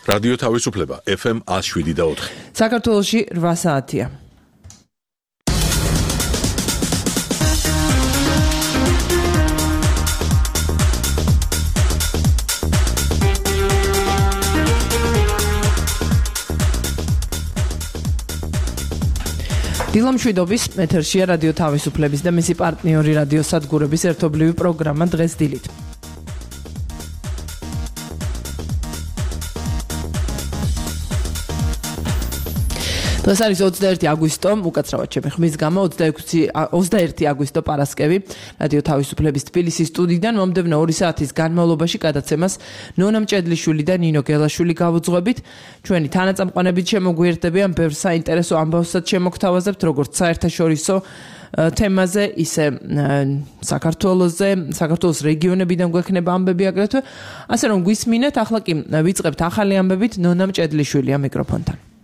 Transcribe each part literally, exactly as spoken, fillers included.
რადიო თავისუფლება ეფ ემ one oh seven და four. საქართველოში რვა საათია. დილო მშვიდობის ეთერშია რადიო თავისუფლების და მისი პარტნიორი რადიო სადგურების ერთობლივი პროგრამა დღეს დილით. დღეს არის ოცდაერთი აგვისტო, უკაცრავად ჩემი ხმის გამო ოცდაერთი აგვისტო პარასკევი რადიო თავისუფლების თბილისის სტუდიიდან მომდევნო ორი საათის განმავლობაში გადაცემას ნონა მჭედლიშვილი და ნინო გელაშვილი გავუძღვებით. ჩვენი თანაწამყვანებით შემოგვიერთდებიან ბევრ საინტერესო ამბავსაც შემოგთავაზებთ, როგორც საერთაშორისო თემაზე, ისე საქართველოზე, საქართველოს რეგიონებიდან გვექნება ამბები აგრეთვე. ასე რომ გვისმინეთ, ახლა კი ვიწყებთ ახალი ამბებით ნონა მჭედლიშვილია მიკროფონთან.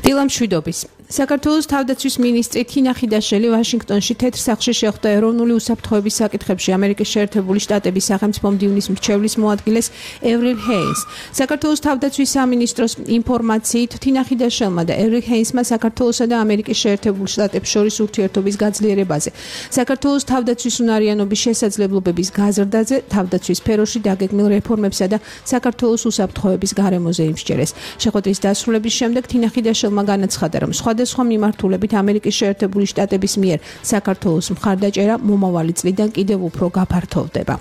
დილო მშვიდობის. საქართველოს თავდაცვის მინისტრი თინა ხიდაშელი ვაშინგტონში თეთრ სახლში შეხვდა ეროვნული უსაფრთხოების საკითხებში ამერიკის შეერთებული შტატების სახელმწიფო მდივნის მრჩევლის მოადგილეს ევრილ ჰეინს. საქართველოს თავდაცვის სამინისტროს ინფორმაციით თინა ხიდაშელმა და ევრილ ჰეინსმა საქართველოსა და ამერიკის შეერთებულ შტატებს შორის ურთიერთობის გაძლიერებაზე, საქართველოს თავდაცვის უნარიანობის შესაძლებლობების გაზრდაზე, თავდაცვის სფეროში დაგეგმილ რეფორმებსა და საქართველოს უსაფრთხოების გარემოზე იმსჯერეს. შეხვედრის დასრულების შემდეგ თინა ხიდაშელმა განაცხადა, რომ სხვადასხვა მიმართულებით ამერიკის შეერთებული შტატების მიერ საქართველოს მხარდაჭერა მომავალი წლიდან კიდევ უფრო გაფართოვდება.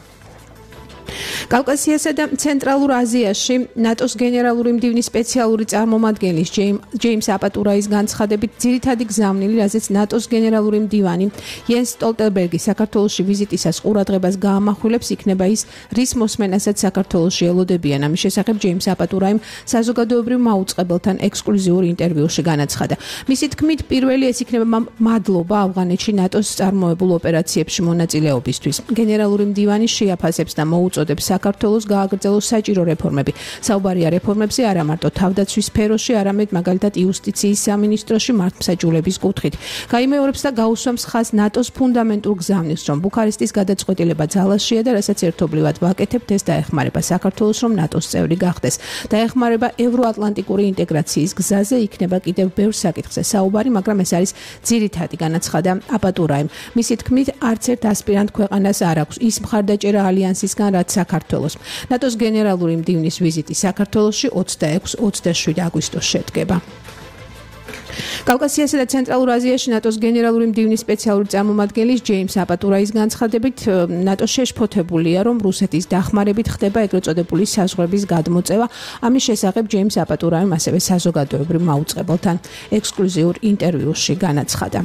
კავკასიასა და ცენტრალურ აზიაში ნატოს გენერალური მდივნის სპეციალური წარმომადგენლის ჯეიმს აპატურაის განცხადებით ძირითადი გზავნილი, რაზეც ნატოს გენერალური მდივანი იენს სტოლტენბერგი საქართველოში ვიზიტისას ყურადღებას გაამახვილებს, იქნება ის, რის მოსმენასაც საქართველოში ელოდებიან. ამის შესახებ ჯეიმს აპატურაიმ საზოგადოებრივ მაუწყებელთან ექსკლუზიურ ინტერვიუში განაცხადა. მისი თქმით, პირველი ეს იქნება მადლობა ავღანეთში ნატოს წარმოებულ ოპერაციებში მონაწილეობისთვის. გენერალური მდივანი შეაფასებს და მოუწოდებს საქართველოს გააგრძელოს საჭირო რეფორმები. საუბარია რეფორმებზე არა მარტო თავდაცვის სფეროში, არამედ მაგალითად იუსტიციის სამინისტროში მართლმსაჯულების კუთხით. გაიმეორებს და გაუსვამს ხაზს ნატოს ფუნდამენტურ გზავნილს, რომ ბუქარესტის გადაწყვეტილება ძალაშია და რასაც ერთობლივად ვაკეთებთ, ეს დაეხმარება საქართველოს, რომ ნატოს წევრი გახდეს. დაეხმარება ევროატლანტიკური ინტეგრაციის გზაზე, იქნება კიდევ ბევრ საკითხზე საუბარი, მაგრამ ეს არის ძირითადი, განაცხადა აპატურაიმ. მისი თქმით, არც ერთ ასპირანტ ქვეყანას არ აქვს ის მხარდაჭერა ალიანსისგან, რაც საქართველოს. ნატოს გენერალური მდივნის ვიზიტი საქართველოში ოცდაექვსი ოცდაშვიდი აგვისტოს შედგება. კავკასიასა და ცენტრალურ აზიაში ნატოს გენერალური მდივნის სპეციალური წარმომადგენლის ჯეიმს აპატურაის განცხადებით, ნატო შეშფოთებულია, რომ რუსეთის დახმარებით ხდება ეგრეთ წოდებული საზღვრების გადმოწევა. ამის შესახებ ჯეიმს აპატურაიმ ასევე საზოგადოებრივ მაუწყებელთან ექსკლუზიურ ინტერვიუში განაცხადა.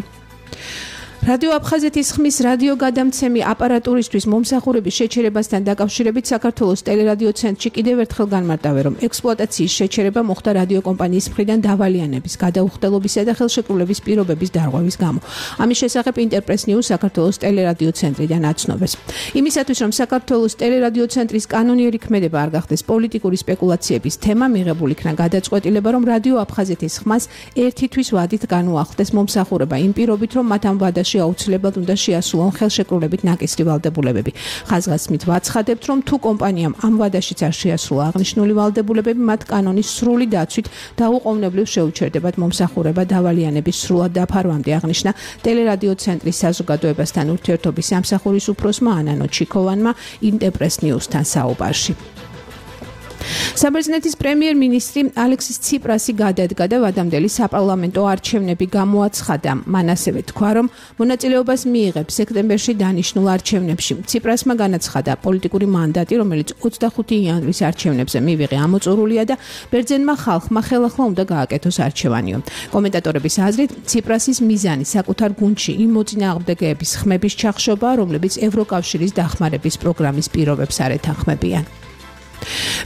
რადიო აფხაზეთის ხმის რადიო გადამცემი აპარატურისთვის მომსახურების შეჩერებასთან დაკავშირებით საქართველოს ტელერადიო ცენტრში კიდევ ერთხელ განმარტავენ, რომ ექსპლუატაციის შეჩერება მოხდა რადიო კომპანიის მხრიდან დავალიანების, გადაუხდელობისა და ხელშეკრულების პირობების დარღვევის გამო. ამის შესახებ ინტერპრეს ნიუს საქართველოს ტელერადიო ცენტრიდან აცნობეს. იმისათვის, რომ საქართველოს ტელერადიო ცენტრის კანონიერი ქმედება არ გახდეს პოლიტიკური სპეკულაციების თემა, მიღებული იქნა გადაწყვეტილება, რომ რადიო აფხაზეთის ხმას ერთი თვის ვადით განუახდეს მომსახურება იმ პირობით, რომ მათ ამ ვადაში აუცილებლად უნდა შეასრულონ ხელშეკრულებით ნაკისრი ვალდებულებები. ხაზგასმით ვაცხადებთ, რომ თუ კომპანიამ ამ ვადაშიც არ შეასრულა აღნიშნული ვალდებულებები, მათ კანონის სრული დაცვით დაუყოვნებლივ შეუჩერდებათ მომსახურება დავალიანების სრულად დაფარვამდე, აღნიშნა ტელერადიო ცენტრის საზოგადოებასთან ურთიერთობის სამსახურის უფროსმა ანანო ჩიქოვანმა ინტერპრეს ნიუსთან საუბარში. საბერძნეთის პრემიერ-მინისტრი ალექსის ციპრასი გადადგა და ვადამდელი საპარლამენტო არჩევნები გამოაცხადა. მან ასევე თქვა, რომ მონაწილეობას მიიღებს სექტემბერში დანიშნულ არჩევნებში. ციპრასმა განაცხადა, პოლიტიკური მანდატი, რომელიც ოცდახუთი იანვრის არჩევნებზე მივიღე, ამოწურულია და ბერძენმა ხალხმა ხელახლა უნდა გააკეთოს არჩევანიო. კომენტატორების აზრით, ციპრასის მიზანი საკუთარ გუნდში იმ მოწინააღმდეგეების ხმების ჩახშობაა, რომლებიც ევროკავშირის დახმარების პროგრამის პირობებს არ ეთანხმებიან.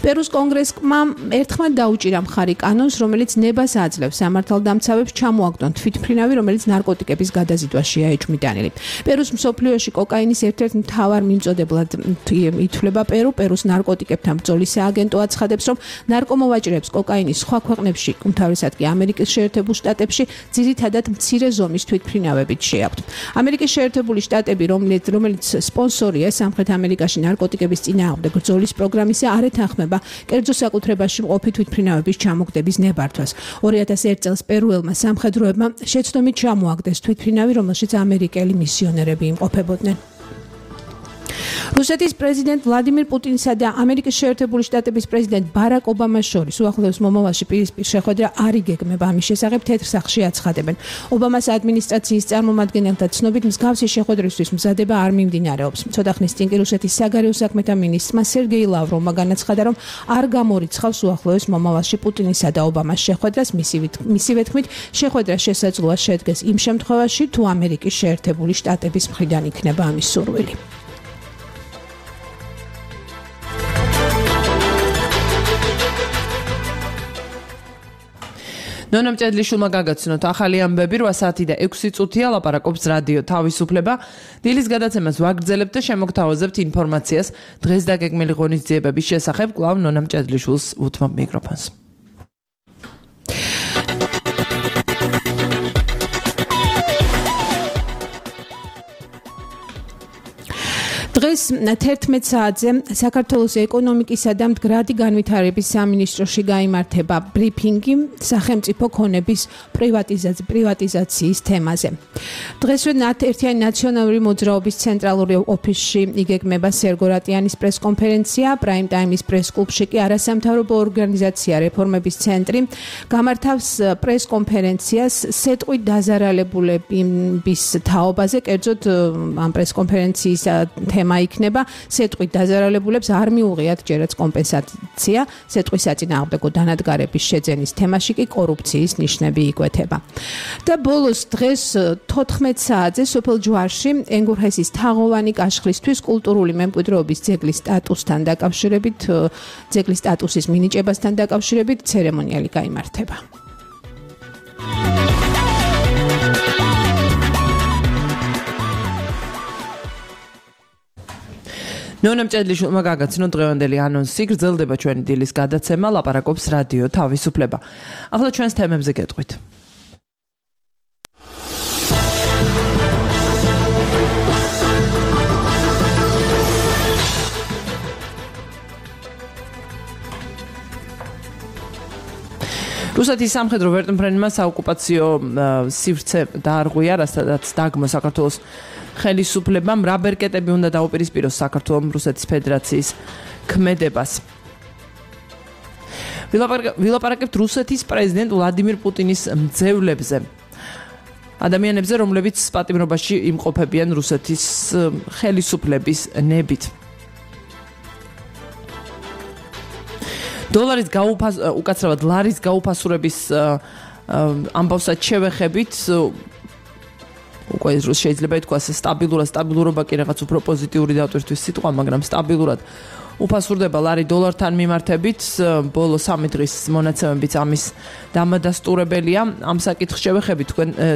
პერუს კონგრესმა ერთხმად დაუჭირა მხარი კანონს, რომელიც ნებას აძლევს სამართალდამცავებს ჩამოაგდონ თვითმფრინავი, რომელიც ნარკოტიკების გადაზიდვაშია ეჭვმიტანილი. პერუს მსოფლიოში კოკაინის ერთ-ერთ მთავარ მიმწოდებლად ითვლება პერუ. პერუს ნარკოტიკებთან ბრძოლის სააგენტო აცხადებს, რომ ნარკომოვაჭრეებს კოკაინის სხვა ქვეყნებში, უმთავრესად კი ამერიკის შეერთებულ შტატებში, ძირითადად მცირე ზომის თვითმფრინავებით შეაქვთ. ამერიკის შეერთებული შტატები, რომელიც რომელიც სპონსორია სამხრეთ ამერიკაში ნარკოტიკების წინააღმდეგ ბრძოლის პროგრამისა, არ ეთანხმება კერძო საკუთრებაში მყოფი თვითმფრინავების ჩამოგდების ნებართვას. ორი ათას ერთ წელს პერუელმა სამხედროებმა შეცდომით ჩამოაგდეს თვითმფრინავი, რომელშიც ამერიკელი მისიონერები იმყოფებოდნენ. რუსეთის პრეზიდენტ ვლადიმირ პუტინსა და ამერიკის შეერთებული შტატების პრეზიდენტ ბარაკ ობამას შორის უახლოეს მომავალში პირისპირ შეხვედრა არ იგეგმება. ამის შესახებ თეთრ სახლში აცხადებენ. ობამას ადმინისტრაციის წარმომადგენელთა ცნობით მსგავსი შეხვედრისთვის მზადება არ მიმდინარეობს. ცოტა ხნის წინ კი რუსეთის საგარეო საქმეთა მინისტრმა სერგეი ლავროვმა განაცხადა, რომ არ გამორიცხავს უახლოეს მომავალში პუტინისა და ობამას შეხვედრას. მისივე თქმით, შეხვედრა შესაძლოა შედგეს იმ შემთხვევაში, თუ ამერიკის შეერთებული შტატების მხრიდან იქნება ამის სურვილი. ნონამ ჭედლიშვილმა გაგაცნოთ ახალი ამბები რვა საათი და ექვსი წუთია ლაპარაკობს რადიო თავისუფლება. დილის გადაცემას ვაგრძელებთ და შემოგთავაზებთ ინფორმაციას დღეს დაგეგმილი ღონისძიებების შესახებ. კვლავ ნონამ ჭედლიშვილს უთმობ მიკროფონს. დღეს თერთმეტ საათზე საქართველოს ეკონომიკისა და მდგრადი განვითარების სამინისტროში გაიმართება ბრიფინგი სახელმწიფო ქონების პრივატიზაციის თემაზე. დღესვე ერთიანი ნაციონალური მოძრაობის ცენტრალური ოფისში იგეგმება სერგო რატიანის პრესკონფერენცია, პრაიმ ტაიმის პრესკლუბში კი არასამთავრობო ორგანიზაცია რეფორმების ცენტრი გამართავს პრესკონფერენციას სეტყვით დაზარალებულების თაობაზე, კერძოდ ამ პრესკონფერენციის თემა იქნება სეტყვით დაზარალებულებს არ მიუღიათ ჯერაც კომპენსაცია, სეტყვის საწინააღმდეგო დანადგარების შეძენის თემაში კი კორუფციის ნიშნები იკვეთება. და ბოლოს დღეს თოთხმეტ საათზე სოფელ ჯვარში ენგურჰესის თაღოვანი კაშხლისთვის კულტურული მემკვიდრეობის ძეგლის სტატუსთან დაკავშირებით, ძეგლის სტატუსის მინიჭებასთან დაკავშირებით ცერემონიალი გაიმართება. ნონამ ჭედლიშვილმა გაგაცნოთ დღევანდელი ანონსი, გრძელდება ჩვენი დილის გადაცემა, ლაპარაკობს რადიო თავისუფლება. ახლა ჩვენს თემებზე გეტყვით. რუსეთის სამხედრო ვერტმფრენმა საოკუპაციო სივრცე დაარღვია, რასაც დაგმო საქართველოს ხელისუფლებამ, რა ბერკეტები უნდა დაუპირისპიროს საქართველოს რუსეთის ფედერაციის ქმედებას. ვილაპარაკებთ რუსეთის პრეზიდენტ ვლადიმირ პუტინის მძევლებზე. ადამიანებზე, რომლებიც პატიმრობაში იმყოფებიან რუსეთის ხელისუფლების ნებით. დოლარის გაუფას უკაცრავად ლარის გაუფასურების ამბავსაც შევეხებით, უკვე შეიძლება ითქვას სტაბილურად, სტაბილურობა კი რაღაც უფრო პოზიტიური დავტვირთვის სიტყვა, მაგრამ სტაბილურად უფასურდება ლარი დოლართან მიმართებით. ბოლო სამი დღის მონაცემებიც ამის დამადასტურებელია. ამ საკითხს შევეხებით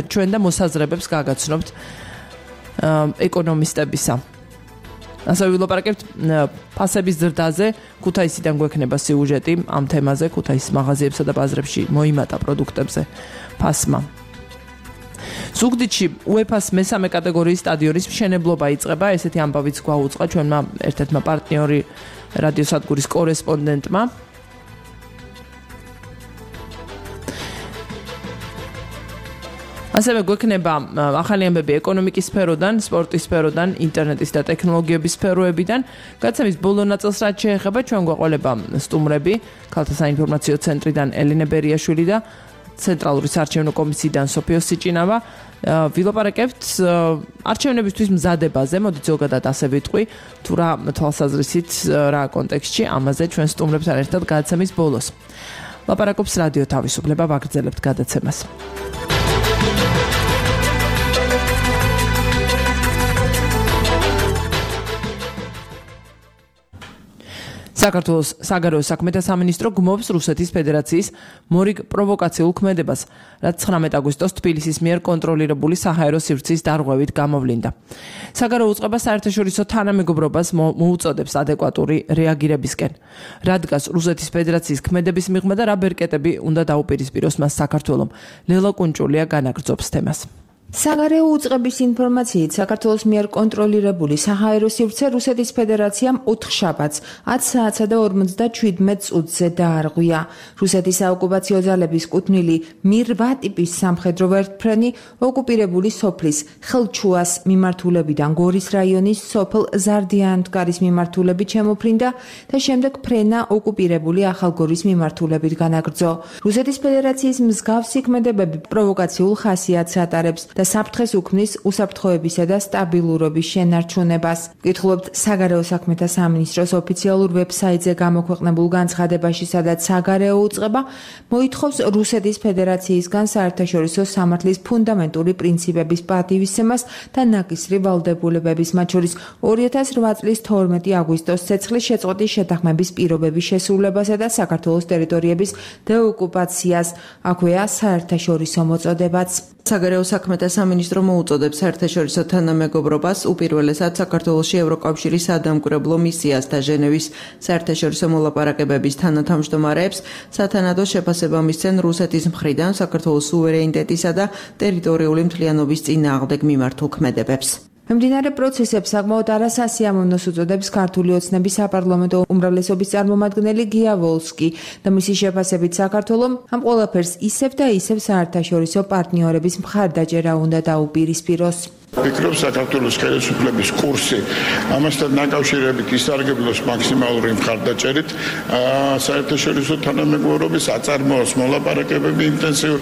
ჩვენ და მოსაზრებებს გაგაცნობთ ეკონომისტებისა. ასევე ვილაპარაკებთ ფასების ზრდაზე, ქუთაისიდან გვექნება სიუჟეტი ამ თემაზე, ქუთაისის მაღაზიებსა და ბაზრებში მოიმატა პროდუქტებზე ფასმა. ზუგდიდში უეფას მესამე კატეგორიის სტადიონის მშენებლობა იწყება, ესეთი ამბავიც გვაუწყა ჩვენმა ერთ-ერთმა პარტნიორი რადიოსადგურის კორესპონდენტმა. ასევე გვექნება ახალი ამბები ეკონომიკის სფეროდან, სპორტის სფეროდან, ინტერნეტის და ტექნოლოგიების სფეროებიდან. გადაცემის ბოლო ნაწილს რაც შეეხება, ჩვენ გვაყოლება სტუმრები, ქალთა საინფორმაციო ცენტრიდან ელენე ბერიაშვილი და ცენტრალური საარჩევნო კომისიიდან სოფიო სიჭინავა. ვილაპარაკებთ არჩევნებისთვის მზადებაზე, მოდით ზოგადად ასე ვიტყვი, თუ რა თვალსაზრისით, რა კონტექსტში, ამაზე ჩვენ სტუმრებთან ერთად გადაცემის ბოლოს. ლაპარაკობს რადიო თავისუფლება, ვაგრძელებთ გადაცემას. საქართველოს საგარეო საქმეთა სამინისტრო გმობს რუსეთის ფედერაციის მორიგ პროვოკაციულ ქმედებას, რაც ცხრამეტ აგვისტოს თბილისის მიერ კონტროლირებული საჰაერო სივრცის დარღვევით გამოვლინდა. საგარეო უწყება საერთაშორისო თანამეგობრობას მოუწოდებს ადეკვატური რეაგირებისკენ. რა დგას რუსეთის ფედერაციის ქმედების მიღმა და რა ბერკეტები უნდა დაუპირისპიროს მას საქართველომ. ლელა კუნჭულია განაგრძობს თემას. საგარეო უწყების ინფორმაციით საქართველოს მიერ კონტროლირებული საჰაერო სივრცე რუსეთის ფედერაციამ ოთხშაბათს ათი საათსა და ორმოცდაჩვიდმეტ წუთზე დაარღვია. რუსეთის საოკუპაციო ძალების კუთვნილი მი რვა ტიპის სამხედრო ვერტმფრენი ოკუპირებული სოფლის ხელჩუას მიმართულებიდან გორის რაიონის სოფელ ზარდიანთკარის მიმართულებით შემოფრინდა და შემდეგ ფრენა ოკუპირებული ახალგორის მიმართულებით განაგრძო. რუსეთის ფედერაციის მსგავსი ქმედებები პროვოკაციულ ხასიათს ატარებს და საფრთხეს უქმნის უსაფრთხოებისა და სტაბილურობის შენარჩუნებას. ვკითხულობთ საგარეო საქმეთა სამინისტროს ოფიციალურ ვებსაიტზე გამოქვეყნებულ განცხადებაში, სადაც საგარეო უწყება მოითხოვს რუსეთის ფედერაციისგან საერთაშორისო სამართლის ფუნდამენტური პრინციპების პატივისცემას და ნაკისრი ვალდებულებების, მათ შორის ორი ათას რვა წლის თორმეტი აგვისტოს ცეცხლის შეწყვეტის შეთანხმების პირობების შესრულებასა და საქართველოს ტერიტორიების დეოკუპაციას, აქვეა საერთაშორისო მოწოდებაც. საგარეო საქმეთა სამინისტრო მოუწოდებს საერთაშორისო თანამეგობრობას უპირველესად საქართველოში ევროკავშირის სადამკვირვებლო მისიას და ჟენევის საერთაშორისო მოლაპარაკებების თანათავმჯდომარეებს სათანადო შეფასება მისცენ რუსეთის მხრიდან საქართველოს სუვერენიტეტისა და ტერიტორიული მთლიანობის წინააღმდეგ მიმართულ ქმედებებს. მიმდინარე პროცესებს საკმაოდ არასასიამოვნოს უწოდებს ქართული ოცნების საპარლამენტო უმრავლესობის წარმომადგენელი გია ვოლსკი და მისი შეფასებით საქართველომ ამ ყველაფერს ისევ და ისევ საერთაშორისო პარტნიორების მხარდაჭერა უნდა დაუპირისპიროს. ვფიქრობ, საქართველოს ხელისუფლების კურსი ამასთან დაკავშირებით ისარგებლოს მაქსიმალური მხარდაჭერით, საერთაშორისო თანამეგობრობის აწარმოოს მოლაპარაკებები ინტენსიურ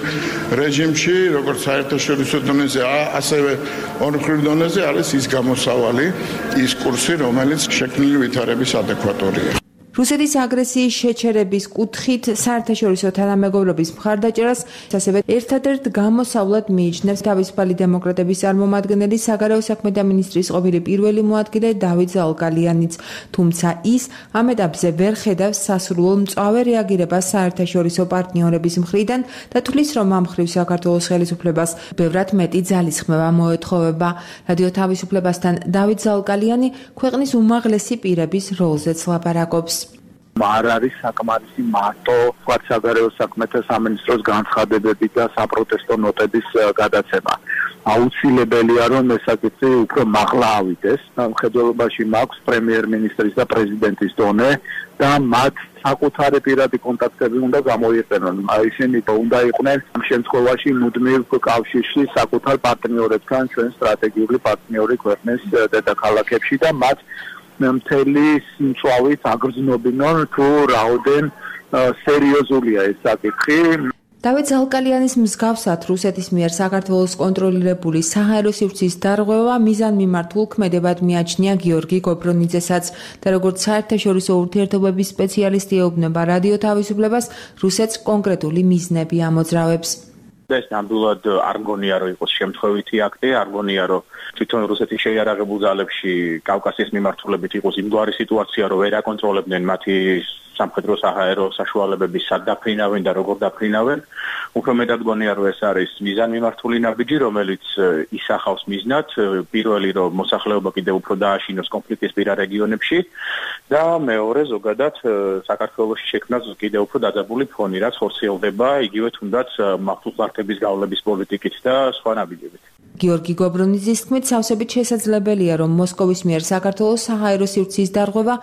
რეჟიმში, როგორც საერთაშორისო დონეზე, ასევე ორმხრივ დონეზე არის ის გამოსავალი, ის კურსი, რომელიც შექმნილი ვითარების ადეკვატურია. რუსეთის აგრესიის შეჩერების კუთხით საერთაშორისო თანამეგობრობის მხარდაჭერას ასევე ერთადერთ გამოსავლად მიიჩნევს თავისუფალი დემოკრატების წარმომადგენელი საგარეო საქმეთა მინისტრის ყოფილი პირველი მოადგილე დავით ზალკალიანიც, თუმცა ის ამ ეტაპზე ვერ ხედავს სასურველ მწვავე რეაგირებას საერთაშორისო პარტნიორების მხრიდან და თვლის, რომ ამ მხრივ საქართველოს ხელისუფლებას ბევრად მეტი ძალისხმევა მოეთხოვება. რადიო თავისუფლებასთან დავით ზალკალიანი ქვეყნის უმაღლესი პირების როლზეც ლაპარაკობს. არ არის საკმარისი მარტო საგარეო საქმეთა სამინისტროს განცხადებები და საპროტესტო ნოტების გადაცემა. აუცილებელია, რომ ეს საკითხი უფრო მაღლა ავიდეს. მხედველობაში მაქვს პრემიერ-მინისტრის და პრეზიდენტის დონე და მათ საკუთარი პირადი კონტაქტები უნდა გამოიყენონ. ისინი უნდა იყვნენ ამ შემთხვევაში მუდმივ კავშირში საკუთარ პარტნიორებთან, ჩვენ სტრატეგიული პარტნიორი ქვეყნის დედაქალაქებში და მათ მთელი მწვავით აგრძნობინონ თუ რაოდენ სერიოზულია ეს საკითხი. დავით ზალკალიანის მსგავსად რუსეთის მიერ საქართველოს კონტროლირებული საჰაერო სივრცის დარღვევა მიზანმიმართულ ქმედებად მიაჩნია გიორგი გობრონიძესაც და როგორც საერთაშორისო ურთიერთობების სპეციალისტი ეუბნება რადიო თავისუფლებას, რუსეთს კონკრეტული მიზნები ამოძრავებს. ეს ნამდვილად არ მგონია რომ იყოს შემთხვევითი აქტი, არ მგონია რომ თვითონ რუსეთის შეიარაღებულ ძალებში კავკასიის მიმართულებით იყოს იმგვარი სიტუაცია, რომ ვერ აკონტროლებდნენ მათი სამხედრო საჰაერო საშუალებების სად დაფრინავენ და როგორ დაფრინავენ. უფრო მეტად მგონია რომ ეს არის მიზანმიმართული ნაბიჯი, რომელიც ისახავს მიზნად, პირველი რომ მოსახლეობა კიდევ უფრო დააშინოს კონფლიქტისპირა რეგიონებში და მეორე ზოგადად საქართველოში შექმნას კიდევ უფრო დაძაბული ფონი, რაც ხორციელდება იგივე თუნდაც მართლმსაჯულების გავლების პოლიტიკით და სხვა ნაბიჯებით. გიორგი გობრონიძის თქმით, სავსებით შესაძლებელია, რომ მოსკოვის მიერ საქართველოს საჰაერო სივრცის დარღვევა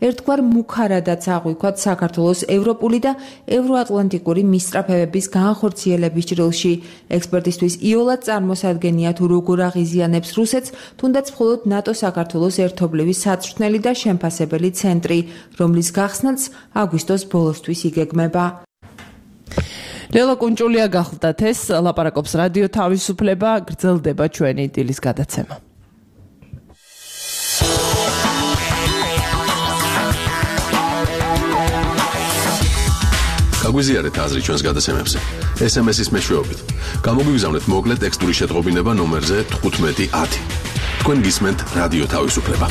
ერთგვარ მუქარადაც აღვიქვათ საქართველოს ევროპული და ევროატლანტიკური მისწრაფებების განხორციელების ჭრილში. ექსპერტისთვის იოლად წარმოსადგენია თუ როგორ აღიზიანებს რუსეთს, თუნდაც მხოლოდ ნატო საქართველოს ერთობლივი საწვრთნელი და შემფასებელი ცენტრი, რომლის გახსნაც აგვისტოს ბოლოსთვის იგეგმება. ლელა კუნჭულია გახლდათ ეს ლაპარაკობს რადიო თავისუფლება, გრძელდება ჩვენი დილის გადაცემა. გაგვიზიარეთ აზრი ჩვენს გადაცემებზე. ეს ემ ეს-ის მეშვეობით. გამოგვიგზავნეთ მოკლე ტექსტური შეტყობინება ნომერზე თხუთმეტი ათი. თქვენ გისმენთ რადიო თავისუფლება.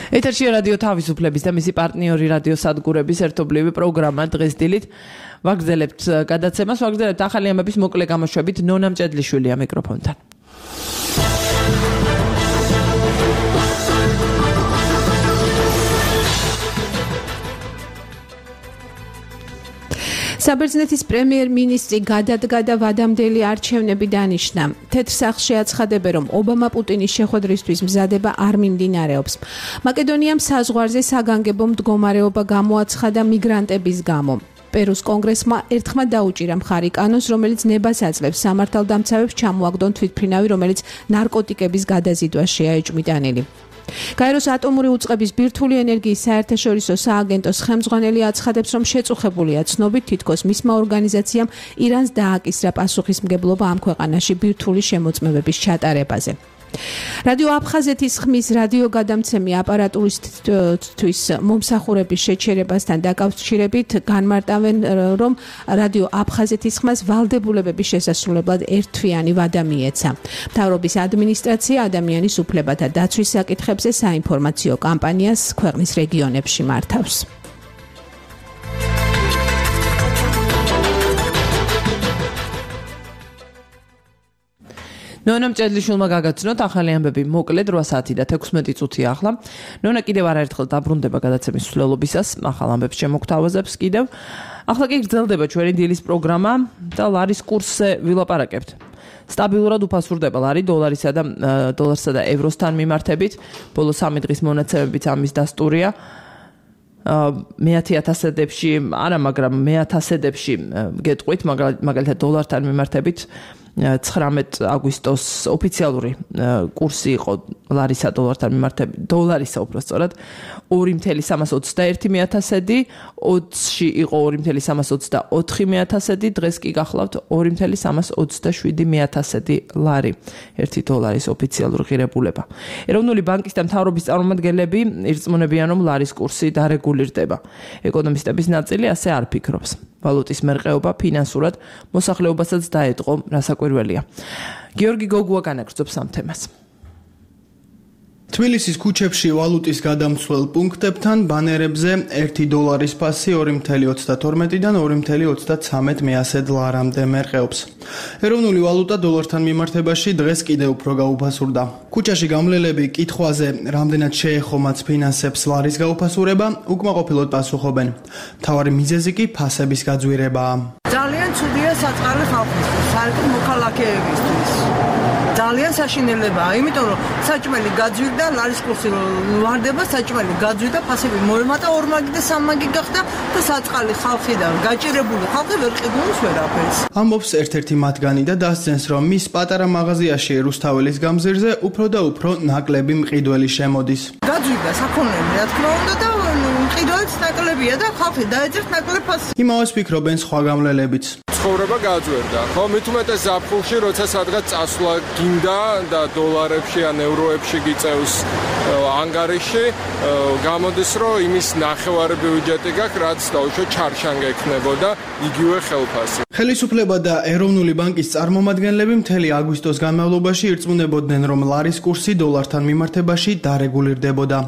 ეთერში რადიო თავისუფლების და მისი პარტნიორი რადიო სადგურების ერთობლივი პროგრამა დღეს დილით ვაგრძელებთ გადაცემას, ვაგრძელებთ ახალი ამბების მოკლე გამოშვებით. ნონა მჭედლიშვილია მიკროფონთან. საბერძნეთის პრემიერ-მინისტრი გადადგა და ვადამდელი არჩევნები დანიშნა. თეთრ სახლში აცხადებენ, რომ ობამა პუტინის შეხვედრისთვის მზადება არ მიმდინარეობს. მაკედონიამ საზღვარზე საგანგებო მდგომარეობა გამოაცხადა მიგრანტების გამო. პერუს კონგრესმა ერთხმად დაუჭირა მხარი კანონს, რომელიც ნებას აძლევს სამართალდამცავებს ჩამოაგდონ თვითმფრინავი, რომელიც ნარკოტიკების გადაზიდვაშია ეჭვმიტანილი. გაეროს ატომური უწყების ბირთვული ენერგიის საერთაშორისო სააგენტოს ხელმძღვანელი აცხადებს, რომ შეწუხებულია ცნობით, თითქოს მისმა ორგანიზაციამ ირანს დააკისრა პასუხისმგებლობა ამ ქვეყანაში ბირთვული შემოწმებების ჩატარებაზე. რადიო აფხაზეთის ხმის რადიო გადამცემი აპარატურისთვის მომსახურების შეჩერებასთან დაკავშირებით განმარტავენ, რომ რადიო აფხაზეთის ხმას ვალდებულებების შესასრულებლად ერთთვიანი ვადა მიეცა. მთავრობის ადმინისტრაცია ადამიანის უფლებათა დაცვის საკითხებზე საინფორმაციო კამპანიას ქვეყნის რეგიონებში მართავს. ნონა მჭედლიშვილმა გაგაცნოთ ახალი ამბები მოკლედ რვა საათი და თექვსმეტი წუთი ახლა. ნონა კიდევ არაერთხელ დაბრუნდება გადაცემის მსვლელობისას, ახალ ამბებს შემოგთავაზებს კიდევ. ახლა კი გრძელდება ჩვენი დილის პროგრამა და ლარის კურსზე ვილაპარაკებთ. სტაბილურად უფასურდება ლარი დოლარისა და დოლარსა და ევროსთან მიმართებით. ბოლო სამი დღის მონაცემებით ამის დასტურია. მეათე ათასედებში არა, მაგრამ მეათასედებში გეტყვით, მაგალითად დოლართან მიმართებით ცხრამეტ აგვისტოს ოფიციალური კურსი იყო ლარისა დოლართან მიმართებით, დოლარისა უბრალოდ ორი წუთი სამას ოცდაერთი მეათასედი, ოცში იყო ორი წუთი სამას ოცდაოთხი მეათასედი, დღეს კი გახლავთ ორი წუთი სამას ოცდაშვიდი მეათასედი ლარი, ერთი დოლარის ოფიციალური ღირებულება. ეროვნული ბანკის და მთავრობის წარმომადგენლები ირწმუნებიან, რომ ლარის კურსი დარეგულირდება. ეკონომისტების ნაწილი ასე არ ფიქრობს. ვალუტის მერყეობა ფინანსურად მოსახლეობასაც დაეტყო, რასაკვირველია. გიორგი გოგუა განაგრძობს ამ თემას. თბილისის ქუჩებში ვალუტის გადამცვლელ პუნქტებთან ბანერებზე ერთი დოლარის ფასი ორი წუთი ოცდათორმეტიდან ორი წუთი ოცდაცამეტ მეასედ ლარამდე მერყეობს. ეროვნული ვალუტა დოლართან მიმართებაში დღეს კიდევ უფრო გაუფასურდა. ქუჩაში გამლელები კითხვაზე, რამდენად შეეხომაც ფინანსებს ლარის გაუფასურება, უკმაყოფილოდ პასუხობენ. მთავარი მიზეზი კი ფასების გაძვირებაა. ძალიან ცუდია საწყალი ხალხისთვის, საერთოდ მოქალაქეებისთვის. ძალიან საშინელებაა, იმიტომ რომ საჭმელი გაძვირდა, ლარის კურსი ვარდება, საჭმელი გაძვირდა, ფასები მოემატა ორმაგი და სამმაგი გახდა და საწყალი ხალხი და გაჭირებული ხალხი ვერ ყიდულობს ვერაფერს. ამბობს ერთ-ერთი მათგანი და დასძენს, რომ მის პატარა მაღაზიაში რუსთაველის გამზირზე უფრო და უფრო ნაკლები მყიდველი შემოდის. გაძვირდა საქონელი, რა თქმა უნდა და მყიდველიც ნაკლებია და ხალხი დაეძერთ ნაკლებ ფასს. იმავეს ფიქრობენ სხვა გამლელებიც. ცხოვრება გაძვერდა. ხო, მით უმეტეს ზაფხულში, როცა სადღაც წასვლა გინდა და დოლარებში ან ევროებში გიწევს ანგარიში, გამოდის, რომ იმის ნახევარი ბიუჯეტი გაქვს, რაც დაუშვათ ჩარშანგა ექნებოდა იგივე ხელფასი. ხელისუფლება და ეროვნული ბანკის წარმომადგენლები მთელი აგვისტოს განმავლობაში ირწმუნებოდნენ, რომ ლარის კურსი დოლართან მიმართებაში დარეგულირდებოდა.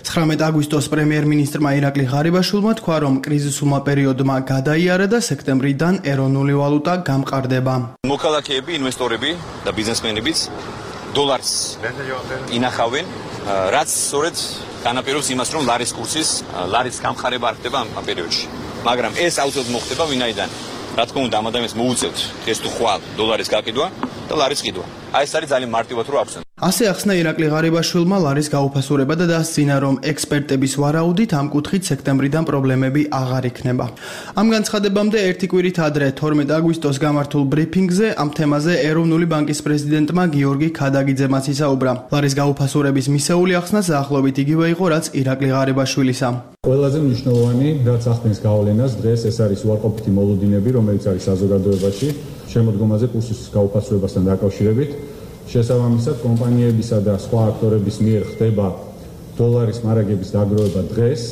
ცხრამეტ აგვისტოს პრემიერ-მინისტრმა ირაკლი ღარიბაშვილმა თქვა, რომ კრიზისულმა პერიოდმა გადაიარა და სექტემბრიდან ეროვნული ვალუტა გამყარდება. მოქალაქეები, ინვესტორები და ბიზნესმენებიც დოლარს ინახავენ, რაც სწორედ განაპირობებს იმას, რომ ლარის კურსის, ლარის გამყარება არ ხდება ამ პერიოდში. მაგრამ ეს აუცილებლად მოხდება, ვინაიდან რა თქმა უნდა ამ ადამიანს მოუწევთ ეს თუ ხვალ დოლარის გაყიდვა და ლარის ყიდვა. აი ეს არის ძალიან მარტივად რო ახსენო. ასე ახსნა ირაკლი ღარიბაშვილმა ლარის გაუფასურება და დასძინა, რომ ექსპერტების ვარაუდით ამ კუთხით სექტემბრიდან პრობლემები აღარ იქნება. ამ განცხადებამდე ერთი კვირით ადრე თორმეტ აგვისტოს გამართულ ბრიფინგზე ამ თემაზე ეროვნული ბანკის პრეზიდენტმა გიორგი ქადაგიძემაც ისაუბრა. ლარის გაუფასურების მისეული ახსნა დაახლოებით იგივე იყო, რაც ირაკლი ღარიბაშვილისა. ყველაზე მნიშვნელოვანი, რაც ახდენს გავლენას დღეს, ეს არის უარყოფითი მოლოდინები, რომელიც არის საზოგადოებაში შემოდგომაზე კურსის გაუფასურებასთან დაკავშირებით. შესაბამისად, კომპანიებისა და სხვა აქტორების მიერ ხდება დოლარის მარაგების დაგროვება დღეს